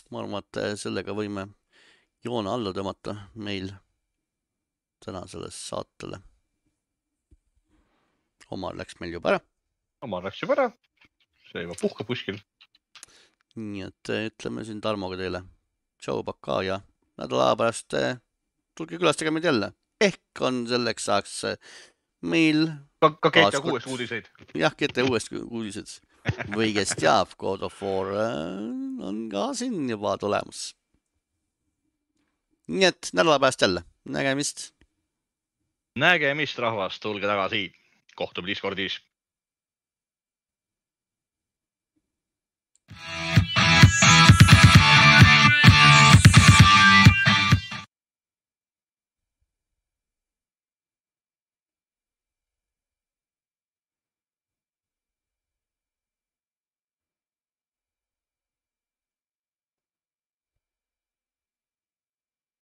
Ma arvan, et sellega võime joone alla tõmmata meil. tänasele saatele. Omar läks meil juba ära. Omar läks juba ära. See juba puhkab kuskil. Nii et ütleme siin Tarmoga teile. Tšau, pakaa ja nädala aja pärast tulge külastage meid jälle. Ehk on selleks saaks meil... Ka GTA 6 uudiseid. Jah, GTA 6 uudised. Või kes teab, God of War on ka siin juba tulemus. Nii et nädala pärast jälle. Nägemist. Nägemist, rahvas. Tulge tagasi. Kohtume Discordis.